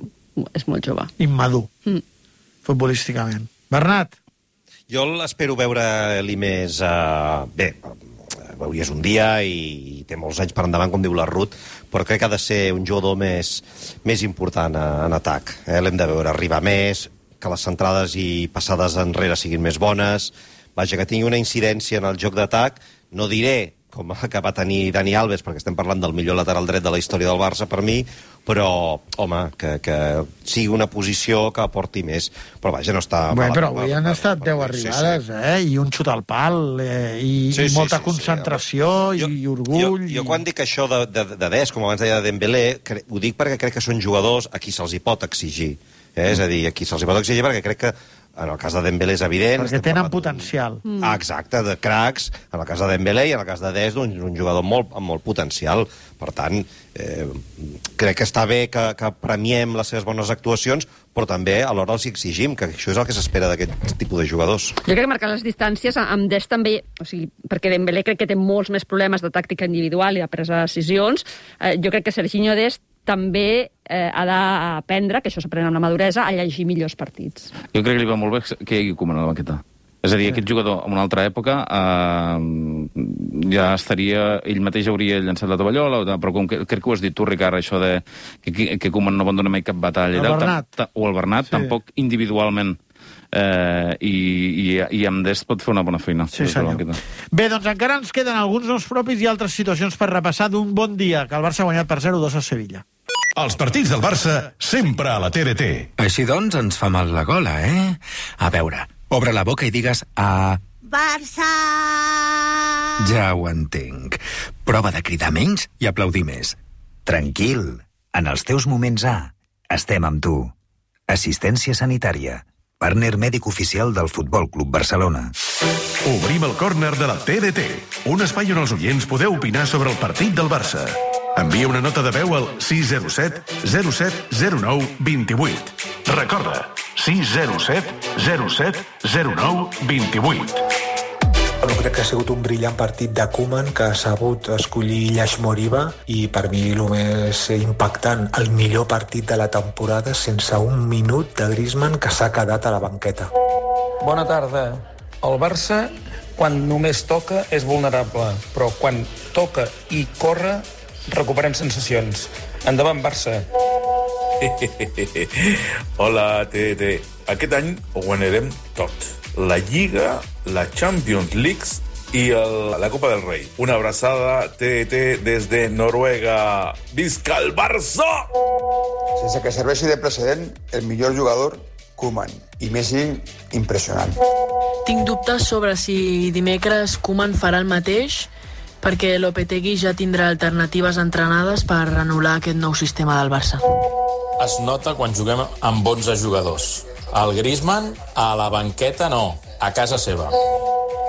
molt jove. Immadur, futbolísticament. Bernat? Jo l'espero veure-li més... Bé, avui és un dia i té molts anys per endavant, com diu la Ruth, però crec que ha de ser un jugador més important en atac. L'hem de veure arribar més, que les centrades i passades enrere siguin més bones, vaja, que tingui una incidència en el joc d'atac. No diré com que va tenir Dani Alves, perquè estem parlant del millor lateral dret de la història del Barça per mi, però, home, que sigui una posició que aporti més. Però vaja, no està... Però avui han estat 10 arribades, i un xut al pal, i molta concentració, i orgull... Jo quan dic això de Dest, com abans deia de Dembélé, ho dic perquè crec que són jugadors a qui se'ls hi pot exigir. És a dir, a qui se'ls hi pot exigir, perquè crec que en el cas de Dembélé és evident... Perquè tenen potencial. Exacte, de cracs, en el cas de Dembélé i en el cas de Dest, un jugador amb molt potencial. Per tant, crec que està bé que premiem les seves bones actuacions, però també alhora els exigim, que això és el que s'espera d'aquest tipus de jugadors. Jo crec que marcar les distàncies amb Dest també, o sigui, perquè Dembélé crec que té molts més problemes de tàctica individual i de presa de decisions. Jo crec que Serginho Dest també ha d'aprendre, que això s'aprèn amb la maduresa, a llegir millors partits. Jo crec que li va molt bé que hi hagi Koeman a la banqueta. És a dir, aquest jugador en una altra època ja estaria... Ell mateix hauria llançat la tovallola, però com crec que ho has dit tu, Ricard, això de que Koeman no abandona mai cap batalla. O el Bernat, tampoc individualment. I amb Dest pot fer una bona feina. Sí, senyor. Bé, doncs encara ens queden alguns noms propis i altres situacions per repassar d'un bon dia, que el Barça ha guanyat per 0-2 a Sevilla. Els partits del Barça sempre a la TDT. Així doncs ens fa mal la gola, A veure, obre la boca i digues a... Barça! Ja ho entenc. Prova de cridar menys i aplaudir més. Tranquil, en els teus moments estem amb tu. Assistència sanitària. partner mèdic oficial del Futbol Club Barcelona. Obrim el córner de la TDT, un espai on els oients podeu opinar sobre el partit del Barça. Envia una nota de veu al 607 07 09 28. Recorda, 607 07 09 28. Bueno, crec que ha sigut un brillant partit de Koeman, que ha sabut escollir Ilaix Moriba, i per mi el més impactant, el millor partit de la temporada sense un minut de Griezmann, que s'ha quedat a la banqueta. Bona tarda. El Barça, quan només toca, és vulnerable, però quan toca i corre, recuperem sensacions. Endavant, Barça. Hola, TDT. Aquest any ho guanyarem tot. La Lliga, la Champions League i la Copa del Rei. Una abraçada, TDT, des de Noruega. Visca el Barça! Sense que serveixi de precedent, el millor jugador, Koeman. I Messi, impressionant. Tinc dubtes sobre si dimecres Koeman farà el mateix, perquè Lopetegui ja tindrà alternatives entrenades per anul·lar aquest nou sistema del Barça. Es nota quan juguem amb bons jugadors. El Griezmann, a la banqueta no, a casa seva.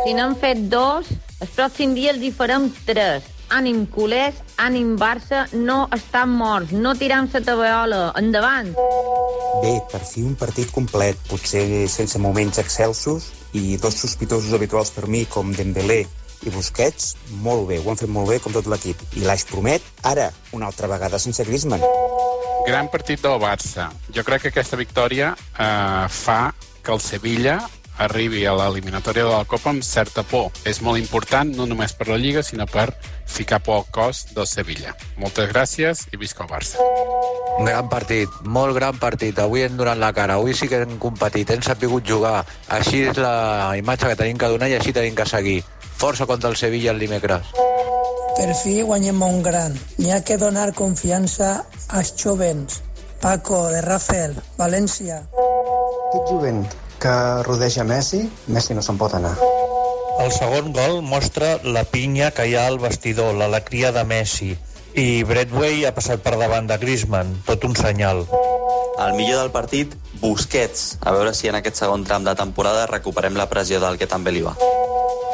Si n'han fet 2, el pròxim dia els hi farem 3. Ànim culers, ànim Barça, no estan morts, no tirem la tabaiola, endavant. Bé, per fi un partit complet, potser sense moments excelsos, i 2 sospitosos habituals per mi, com Dembélé i Busquets, molt bé, ho han fet molt bé com tot l'equip. I l'Aix promet, ara, una altra vegada sense Griezmann. Gran partit del Barça. Jo crec que aquesta victòria fa que el Sevilla arribi a l'eliminatòria de la Copa amb certa por. És molt important, no només per la Lliga, sinó per ficar por al cos del Sevilla. Moltes gràcies i visca el Barça. Un gran partit, molt gran partit. Avui hem donat la cara, avui sí que hem competit, hem sabut jugar. Així és la imatge que tenim que donar i així tenim que seguir. Força contra el Sevilla el dimecres. Per fi guanyem a un gran. N'hi ha que donar confiança als jovens. Paco, de Rafael, València. Aquest jovent que rodeja Messi, Messi no se'n pot anar. El segon gol mostra la pinya que hi ha al vestidor, l'alegria de Messi. I Braithwaite ha passat per davant de Griezmann, tot un senyal. El millor del partit, Busquets. A veure si en aquest segon tram de temporada recuperem la pressió del que també li va.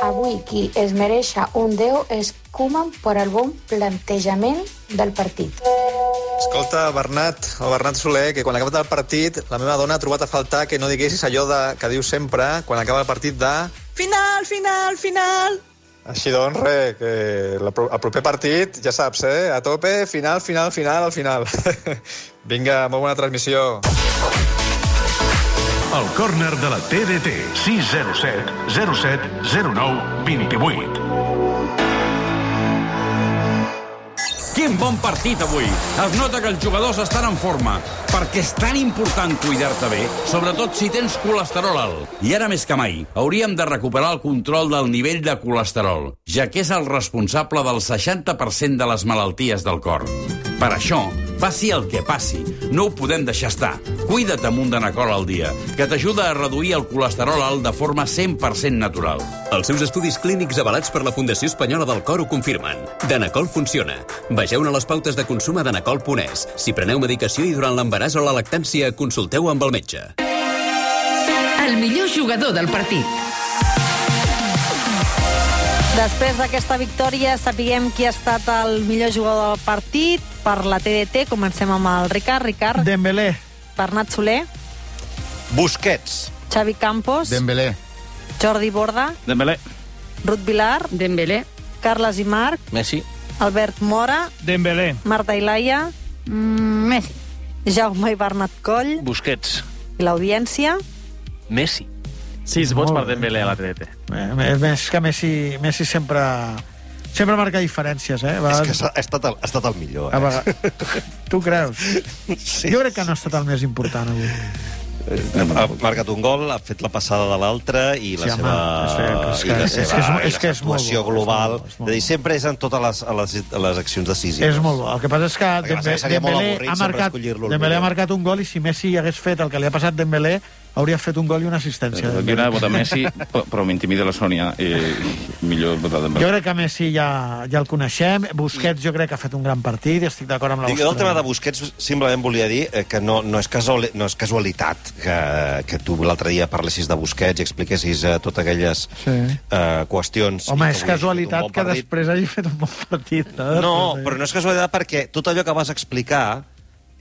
Avui qui es mereix un 10 és Koeman per el bon plantejament del partit. Escolta, Bernat Soler, que quan ha acabat el partit la meva dona ha trobat a faltar que no diguessis allò que dius sempre quan acaba el partit de... Final, final, final! Així doncs, res, que el proper partit, ja saps, a tope, final, final, final, al final. Vinga, molt bona transmissió. El córner de la TDT, 607 07 09 28. Quin bon partit avui! Es nota que els jugadors estan en forma, perquè és tan important cuidar-te bé, sobretot si tens colesterol alt. I ara més que mai, hauríem de recuperar el control del nivell de colesterol, ja que és el responsable del 60% de les malalties del cor. Per això, passi el que passi, no ho podem deixar estar. Cuida't amb un Danacol al dia, que t'ajuda a reduir el colesterol alt de forma 100% natural. Els seus estudis clínics avalats per la Fundació Espanyola del Cor ho confirmen. Danacol funciona. Vegeu-ne les pautes de consum a danacol.es. Si preneu medicació i durant l'embaràs o la lactància, consulteu amb el metge. El millor jugador del partit. Després d'aquesta victòria sapiguem qui ha estat el millor jugador del partit. Per la TDT comencem amb el Ricard. Ricard. Dembélé. Bernat Soler. Busquets. Xavi Campos. Dembélé. Jordi Borda. Dembélé. Ruth Vilar. Dembélé. Carles i Marc. Messi. Albert Mora. Dembélé. Marta Ilaia. Messi. Jaume i Bernat Coll. Busquets. I l'audiència. Messi. 6 vots per Dembélé a la TDT. Més que Messi sempre marca diferències, És que ha estat el millor, Tu creus? Sí. Jo crec que no ha estat el més important avui. Ha marcat un gol, ha fet la passada de l'altre i la seva actuació global. És a dir, sempre és en totes les accions decisives. És molt bo. El que passa és que Dembélé ha marcat un gol i si Messi hagués fet el que li ha passat a Dembélé hauria fet un gol i una assistència. Jo anava a votar Messi, però m'intimida la Sònia, i millor votar Dembélé. Jo crec que Messi ja el coneixem. Busquets jo crec que ha fet un gran partit i estic d'acord amb la vostra. Jo del tema de Busquets simplement volia dir que no és casualitat que tu l'altre dia parlessis de Busquets i expliquessis totes aquelles qüestions. Home, és casualitat que després hagi fet un bon partit. No, però no és casualitat perquè tot allò que vas explicar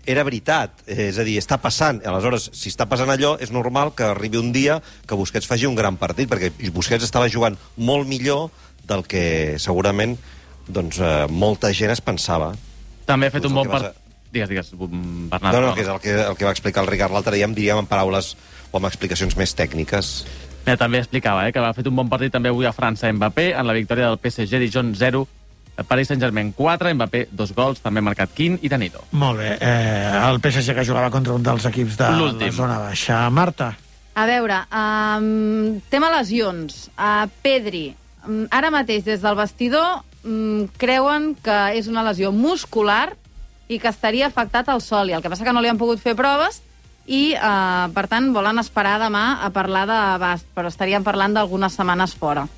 era veritat, és a dir, està passant. Aleshores, si està passant allò, és normal que arribi un dia que Busquets faci un gran partit, perquè Busquets estava jugant molt millor del que segurament molta gent es pensava. També ha fet un bon partit. Digues, Bernat. No, que és el que va explicar el Ricard l'altre dia, diríem en paraules o amb explicacions més tècniques. També explicava que ha fet un bon partit també avui a França Mbappé, en la victòria del PSG Dijon 0, Paris Saint-Germain 4, Mbappé 2 gols, també ha marcat Quin i Danilo. Molt bé, el PSG que jugava contra un dels equips de la zona baixa. Marta? A veure, tema lesions. Pedri, ara mateix des del vestidor creuen que és una lesió muscular i que estaria afectat al soli. El que passa que no li han pogut fer proves i, per tant, volen esperar demà a parlar d'abast, però estaríem parlant d'algunes setmanes fora.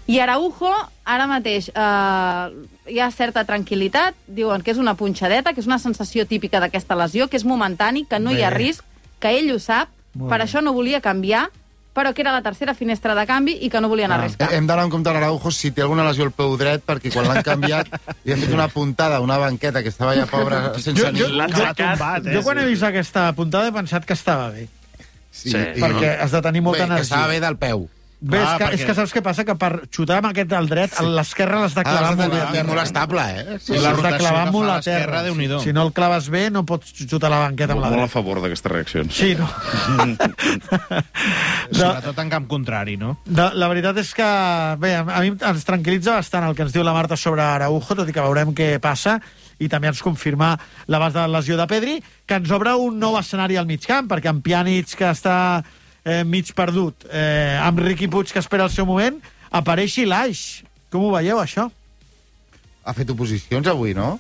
I Araujo, ara mateix, hi ha certa tranquil·litat, diuen que és una punxadeta, que és una sensació típica d'aquesta lesió, que és momentani, que no hi ha risc, que ell ho sap, per això no volia canviar, però que era la tercera finestra de canvi i que no volien arriscar. Hem d'anar en compte a l'Araujo si té alguna lesió al peu dret, perquè quan l'han canviat li han fet una puntada, una banqueta, que estava ja pobra sense ni... Jo quan he vist aquesta puntada he pensat que estava bé. Sí. Perquè has de tenir molta energia. Que estava bé del peu. Bé, és que saps què passa? Que per xutar amb aquest del dret, l'esquerra l'has de clavar molt estable, l'has de clavar molt a terra. Si no el claves bé, no pots xutar la banqueta amb la dreta. Molt a favor d'aquestes reaccions. Sí, no? Sobretot en camp contrari, no? La veritat és que, bé, a mi ens tranquil·litza bastant el que ens diu la Marta sobre Araujo, tot i que veurem què passa, i també ens confirma l'abast de la lesió de Pedri, que ens obre un nou escenari al mig camp, perquè en Pjanic, que està mig perdut, amb Riqui Puig, que espera el seu moment, apareixi l'Aix. Com ho veieu, això? Ha fet oposicions avui, no?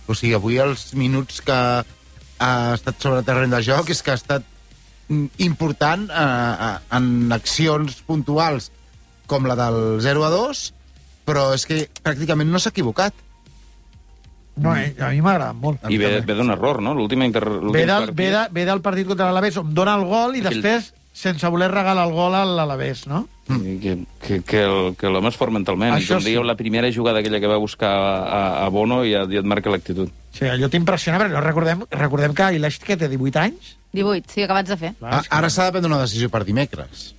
O sigui, avui els minuts que ha estat sobre el terreny de joc és que ha estat important en accions puntuals com la del 0-2, però és que pràcticament no s'ha equivocat. No, a mi m'ha agradat molt. I ve d'un error, no? Ve del partit contra l'Alavés, on dona el gol i després, sense voler regalar el gol a l'Alavés, no? Que l'home es fort mentalment. I com dèieu, la primera jugada aquella que va buscar a Bono ja et marca l'actitud. Sí, allò t'impressiona, però recordem que Ileix, que té 18 anys? 18, sí, acabats de fer. Ara s'ha de prendre una decisió per dimecres.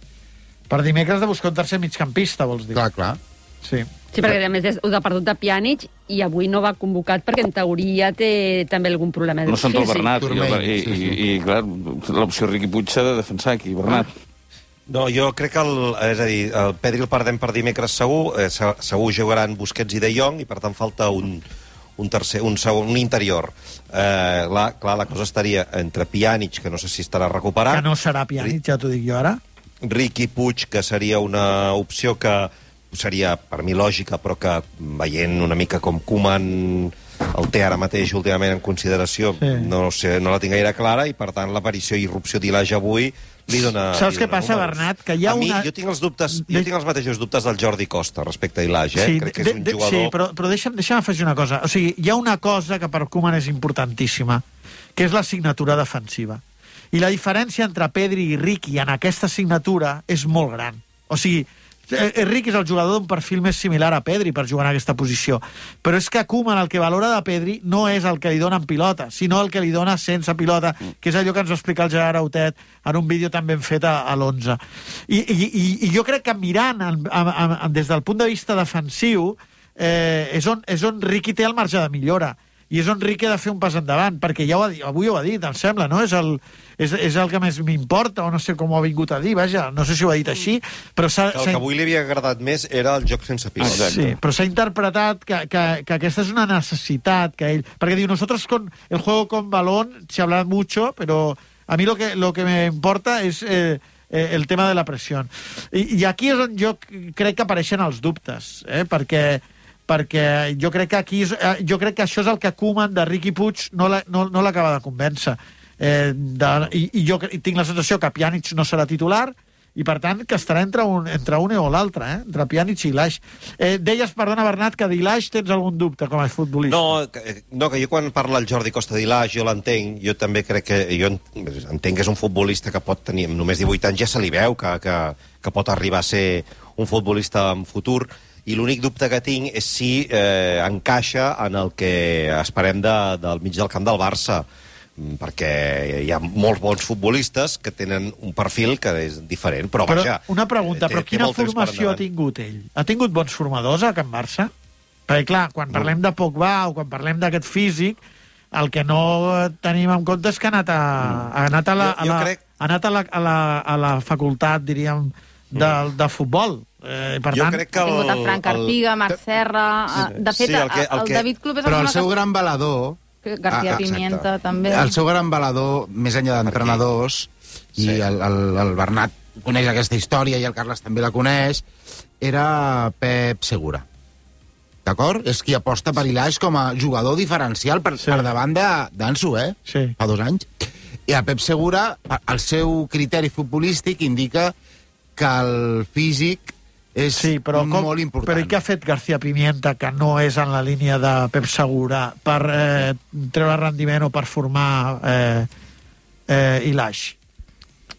Per dimecres de buscar un tercer migcampista, vols dir? Clar. Sí. Sí, perquè a més ho ha perdut de Pjanic i avui no va convocat perquè en teoria té també algun problema físic. No sent el Bernat, i clar, l'opció Riqui Puig s'ha de defensar aquí, Bernat. No, jo crec que és a dir, el Pedri el perdem per dimecres segur, segur jugaran Busquets i De Jong, i per tant falta un interior. Clar, la cosa estaria entre Pjanic, que no sé si estarà recuperat... Que no serà Pjanic, ja t'ho dic jo ara. Riqui Puig, que seria una opció que seria, per mi, lògica, però que, veient una mica com Koeman el té ara mateix últimament en consideració, no la tinc gaire clara, i, per tant, l'aparició i irrupció d'Ilage avui li dona... Saps què passa, Bernat? Que hi ha jo tinc els mateixos dubtes del Jordi Costa respecte a Ilage, crec que és un jugador... Sí, però deixa'm afegir una cosa. O sigui, hi ha una cosa que per Koeman és importantíssima, que és la signatura defensiva. I la diferència entre Pedri i Riqui en aquesta signatura és molt gran. O sigui, Riqui és el jugador d'un perfil més similar a Pedri per jugar en aquesta posició, però és que Koeman el que valora de Pedri no és el que li dona en pilota, sinó el que li dona sense pilota, que és allò que ens va explicar el Gerard Autet en un vídeo també ben fet a l'11. I jo crec que mirant des del punt de vista defensiu és on Riqui té el marge de millora, i és on Riqui ha de fer un pas endavant, perquè ja avui ho ha dit, em sembla, no? És el que més m'importa, o no sé com ho ha vingut a dir, vaja, no sé si ho ha dit així, però el que avui li havia agradat més era el joc sense pilota. Sí, però s'ha interpretat que aquesta és una necessitat que ell... Perquè diu, nosotros con el juego con balón se habla mucho, pero a mí lo que me importa es el tema de la presión. I aquí és on jo crec que apareixen els dubtes, perquè jo crec que això és el que Koeman de Riqui Puig no l'acaba de convèncer. I jo tinc la sensació que Pjanic no serà titular, i per tant que estarà entre un o l'altre, entre Pjanic i Ilaix. Deies, perdona Bernat, que d'Ilaix tens algun dubte com a futbolista. No, que jo quan parla el Jordi Costa d'Ilaix jo l'entenc, jo també crec que jo entenc que és un futbolista que pot tenir, amb només 18 anys ja se li veu que pot arribar a ser un futbolista en futur, i l'únic dubte que tinc és si encaixa en el que esperem del mig del camp del Barça, perquè hi ha molts bons futbolistes que tenen un perfil que és diferent, però vaja... Una pregunta, però quina formació ha tingut ell? Ha tingut bons formadors a Can Barça? Perquè, clar, quan parlem de Pogba o quan parlem d'aquest físic, el que no tenim en compte és que ha anat a la facultat, diríem, de futbol. Per tant, ha tingut a Frank Artiga, Marc Serra... De fet, el David Club és... Però el seu gran balador... García Pimienta, també. El seu gran balador, més enllà d'entrenadors, i el Bernat coneix aquesta història i el Carles també la coneix, era Pep Segura. D'acord? És qui aposta per Ilaix com a jugador diferencial per davant d'Ansu, Sí. Fa 2 anys. I a Pep Segura, el seu criteri futbolístic indica que el físic és molt important. Però i què ha fet García Pimienta, que no és en la línia de Pep Segura, per treure rendiment o per formar Ilaix?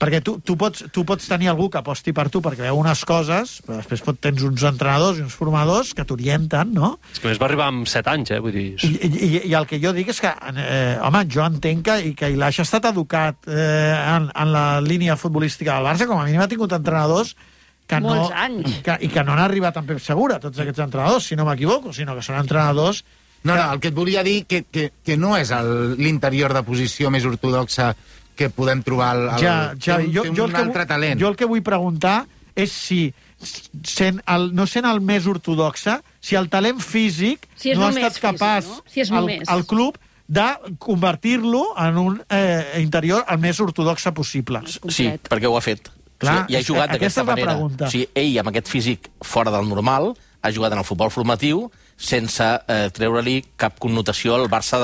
Perquè tu pots tenir algú que aposti per tu perquè veu unes coses, però després tens uns entrenadors i uns formadors que t'orienten, no? És que més va arribar amb 7 anys, vull dir... I el que jo dic és que, home, jo entenc que Ilaix ha estat educat en la línia futbolística del Barça, com a mínim ha tingut entrenadors molts anys. I que no han arribat amb Pep Segura, tots aquests entrenadors, si no m'equivoco, sinó que són entrenadors... No, el que et volia dir que no és l'interior de posició més ortodoxa que podem trobar té un altre talent. Jo el que vull preguntar és si, no sent el més ortodoxa, si el talent físic no ha estat capaç al club de convertir-lo en un interior el més ortodoxa possible. Sí, perquè ho ha fet. Clar, i ha jugat d'aquesta manera. O sigui, ell, amb aquest físic fora del normal, ha jugat en el futbol formatiu sense treure-li cap connotació al Barça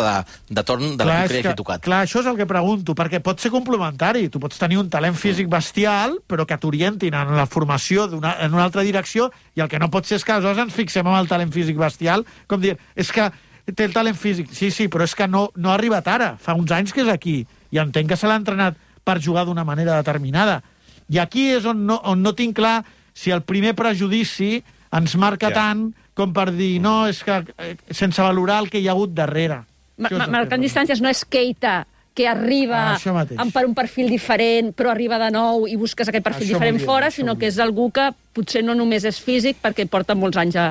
de torn de l'equip que hagi tocat. Clar, això és el que pregunto, perquè pot ser complementari. Tu pots tenir un talent físic bestial, però que t'orientin en la formació en una altra direcció, i el que no pot ser és que aleshores ens fixem en el talent físic bestial, com dir, és que té el talent físic. Sí, però és que no ha arribat ara. Fa uns anys que és aquí, i entenc que se l'ha entrenat per jugar d'una manera determinada. I aquí és on no tinc clar si el primer prejudici ens marca tant com per dir, no, és que sense valorar el que hi ha hagut darrere. Marcant distàncies no és Keita, que arriba per un perfil diferent, però arriba de nou i busques aquest perfil diferent fora, sinó que és algú que potser no només és físic, perquè porta molts anys a...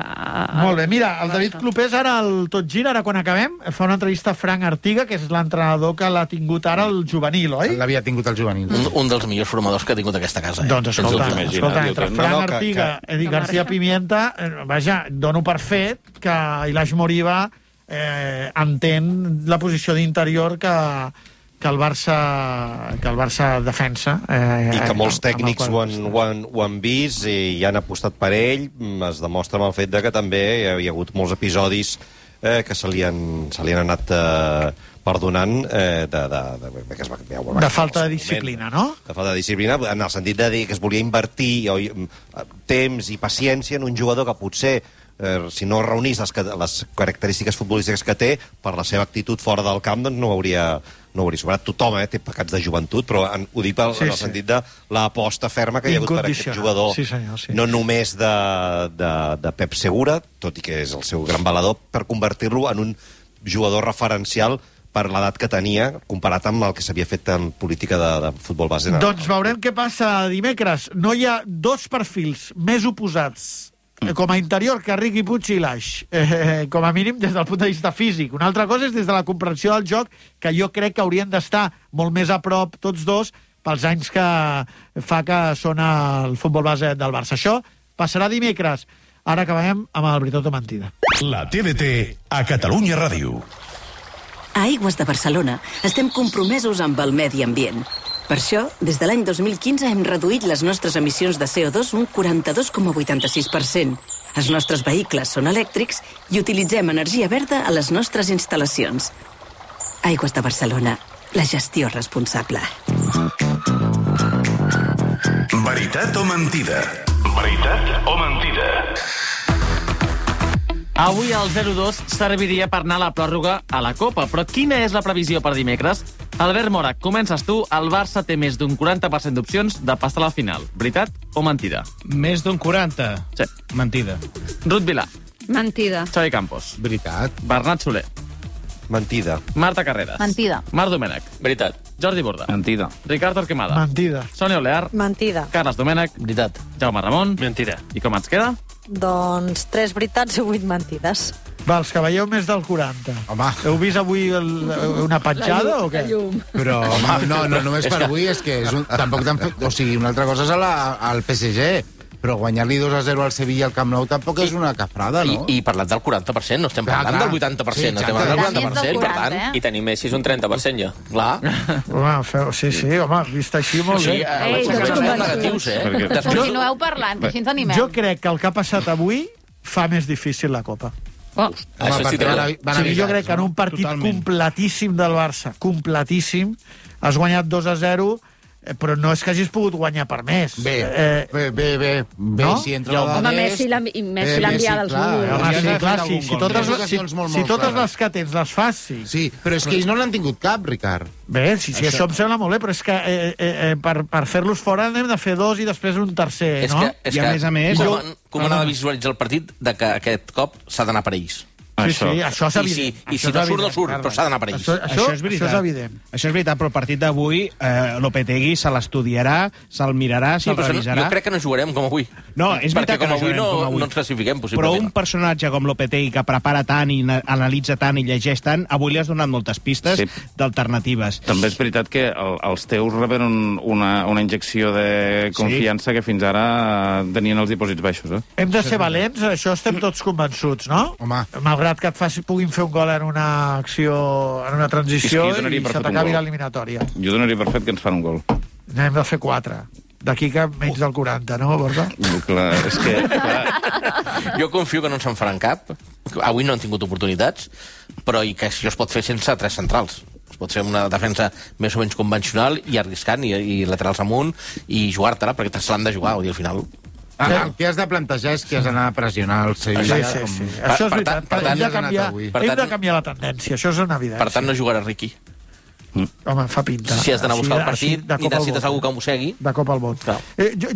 Molt bé, mira, el David Clopés ara al Tot Gira, ara quan acabem, fa una entrevista a Frank Artiga, que és l'entrenador que l'ha tingut ara el juvenil, oi? L'havia tingut el juvenil. Un dels millors formadors que ha tingut aquesta casa. Doncs escolta, entre Frank Artiga i García Pimienta, vaja, dono per fet que Ilaix Moriba entén la posició d'interior que el Barça defensa. I que molts tècnics ho han vist i han apostat per ell. Es demostra amb el fet que també hi ha hagut molts episodis que se li han anat perdonant de falta de disciplina, no? De falta de disciplina, en el sentit de dir que es volia invertir temps i paciència en un jugador que potser si no reunís les característiques futbolístiques que té, per la seva actitud fora del camp, doncs no ho hauria superat. Tothom té pecats de joventut, però ho dic en el sentit de l'aposta ferma que hi ha hagut per aquest jugador, no només de Pep Segura, tot i que és el seu gran balador, per convertir-lo en un jugador referencial per l'edat que tenia, comparat amb el que s'havia fet en política de futbol base. Doncs veurem què passa dimecres. No hi ha dos perfils més oposats com a interior que Riqui Puig i Ilaix, com a mínim des del punt de vista físic. Una altra cosa és des de la comprensió del joc, que jo crec que haurien d'estar molt més a prop tots dos pels anys que fa que sona el futbol base del Barça. Això passarà dimecres. Ara acabem amb el Veritat o Mentida. La TDT a Catalunya Ràdio. A Aigües de Barcelona estem compromesos amb el medi ambient. Per això, des de l'any 2015 hem reduït les nostres emissions de CO2 un 42,86%. Els nostres vehicles són elèctrics i utilitzem energia verda a les nostres instal·lacions. Aigües de Barcelona, la gestió responsable. Veritat o mentida? Veritat o mentida? Avui el 0-2 serviria per anar a la pròrroga a la Copa, però quina és la previsió per dimecres? Albert Mora, comences tu. El Barça té més d'un 40% d'opcions de passar a la final. Veritat o mentida? Més d'un 40? Sí. Mentida. Ruth Vilà. Mentida. Xavi Campos. Veritat. Bernat Soler. Mentida. Marta Carreras. Mentida. Marc Domènech. Veritat. Jordi Borda. Mentida. Ricardo Torquemada. Mentida. Sònia Olear. Mentida. Carles Domènech. Veritat. Jaume Ramon. Mentida. I com ens queda? Doncs 3 veritats i 8 mentides. Va, els que veieu més del 40. Home. Heu vist avui una petjada o què? Però, home, no només per avui, és que tampoc t'han fet... O sigui, una altra cosa és al PSG, però guanyar-li 2-0 al Sevilla al Camp Nou tampoc és una cafrada, no? I parlant del 40%, no estem parlant del 80%, Sí, estem parlant del 40%, per tant... I tenir Messi és un 30% ja. Clar. Home, sí, home, vist així molt bé. Negatius, Continueu parlant, que així ens animem. Jo crec que el que ha passat avui fa més difícil la Copa. Això sí que jo crec que en un partit completíssim del Barça, completíssim, has guanyat 2-0, però no és que hagis pogut guanyar per més. Bé, no? si entra Home, Messi l'ha enviat als números. Si totes les que tens les fas, sí. Sí, però és que ells no n'han tingut cap, Ricard. Bé, sí, això em sembla molt bé, però és que per fer-los fora n'hem de fer 2 i després un tercer, no? I a més... Com ha de visualitzar el partit de que aquest cop s'ha d'anar per ells? Sí, això és evident. I si no surt, no surt, però s'ha d'anar per ells. Això és evident. Això és veritat, però el partit d'avui Lopetegui se l'estudiarà, se'l mirarà, se'l revisarà. Jo crec que no jugarem com avui. No, és veritat que no jugarem com avui. No ens classifiquem, possiblement. Però un personatge com Lopetegui, que prepara tant i analitza tant i llegeix tant, avui li has donat moltes pistes d'alternatives. També és veritat que els teus reben una injecció de confiança que fins ara tenien els dipòsits baixos. Hem de ser valents, això estem tots convençuts, no? Home. Malgrat que puguin fer un gol en una acció, en una transició i se t'acabi l'eliminatòria. Jo donaria per fet que ens fan un gol. N'hem de fer 4. D'aquí que menys del 40, no, Borja? Clar, és que... Jo confio que no ens en faran cap. Avui no han tingut oportunitats, però i que això es pot fer sense 3 centrals. Es pot fer una defensa més o menys convencional i arriscant, i laterals amunt, i jugar-te-la, perquè te l'han de jugar, vull dir, al final... El que has de plantejar és que has d'anar a pressionar el Sevilla. Sí. Això és veritat. Hem de canviar la tendència, això és una evidència. Per tant, no jugarà Riqui. Home, fa pinta. Si has d'anar a buscar el partit, i necessites algú que ho mossegui. De cop al vot.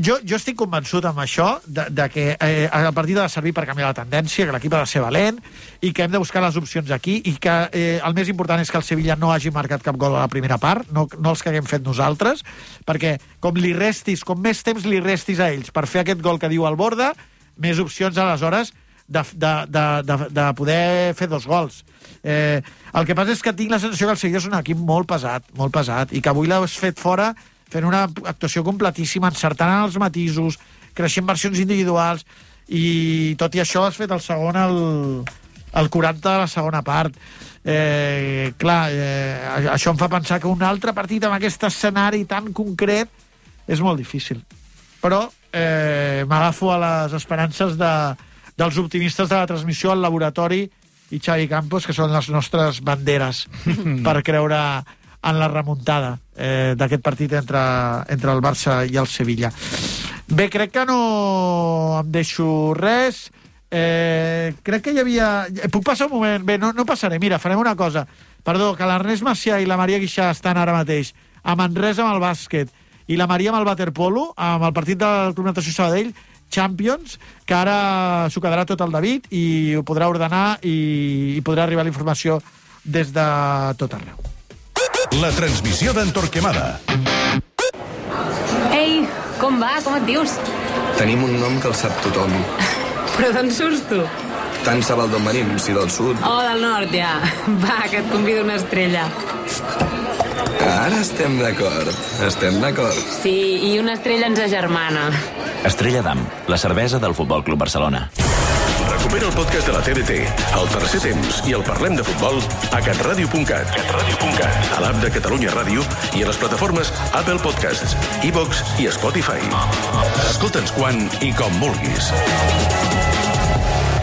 Jo estic convençut amb això de que el partit ha de servir per canviar la tendència, que l'equip ha de ser valent i que hem de buscar les opcions aquí i que el més important és que el Sevilla no hagi marcat cap gol a la primera part, no els que haguem fet nosaltres, perquè com més temps li restis a ells per fer aquest gol que diu el Borda, més opcions aleshores de poder fer 2 gols. El que passa és que tinc la sensació que el Sevilla és un equip molt pesat, i que avui l'has fet fora fent una actuació completíssima, encertant els matisos, creixent versions individuals, i tot i això has fet el segon al 40 de la segona part. Això em fa pensar que un altre partit amb aquest escenari tan concret és molt difícil. Però m'agafo a les esperances dels optimistes de la transmissió, al laboratori i Xavi Campos, que són les nostres banderes per creure en la remuntada d'aquest partit entre el Barça i el Sevilla. Bé, crec que no em deixo res. Crec que hi havia... Puc passar un moment? Bé, no passaré. Mira, farem una cosa. Perdó, que l'Ernest Macià i la Maria Guixà estan ara mateix a Manresa amb el bàsquet i la Maria amb el waterpolo, amb el partit del Club Natació Sabadell, Champions, que ara s'ho quedarà tot el David i ho podrà ordenar i podrà arribar la informació des de tot arreu. La transmissió d'en Torquemada. Ei, com va? Com et dius? Tenim un nom que el sap tothom. Però d'on surts tu? Tant sap el d'on venim, si del sud. Oh, del nord, ja. Va, que et convido una estrella. Ara estem d'acord. Sí, i una estrella ens agermana. Estrella d'Am, la cervesa del Futbol Club Barcelona. Recupera el podcast de la TDT, el tercer temps i el Parlem de Futbol a catradio.cat, a l'app de Catalunya Ràdio i a les plataformes Apple Podcasts, iVox i Spotify. Escolta'ns quan i com vulguis.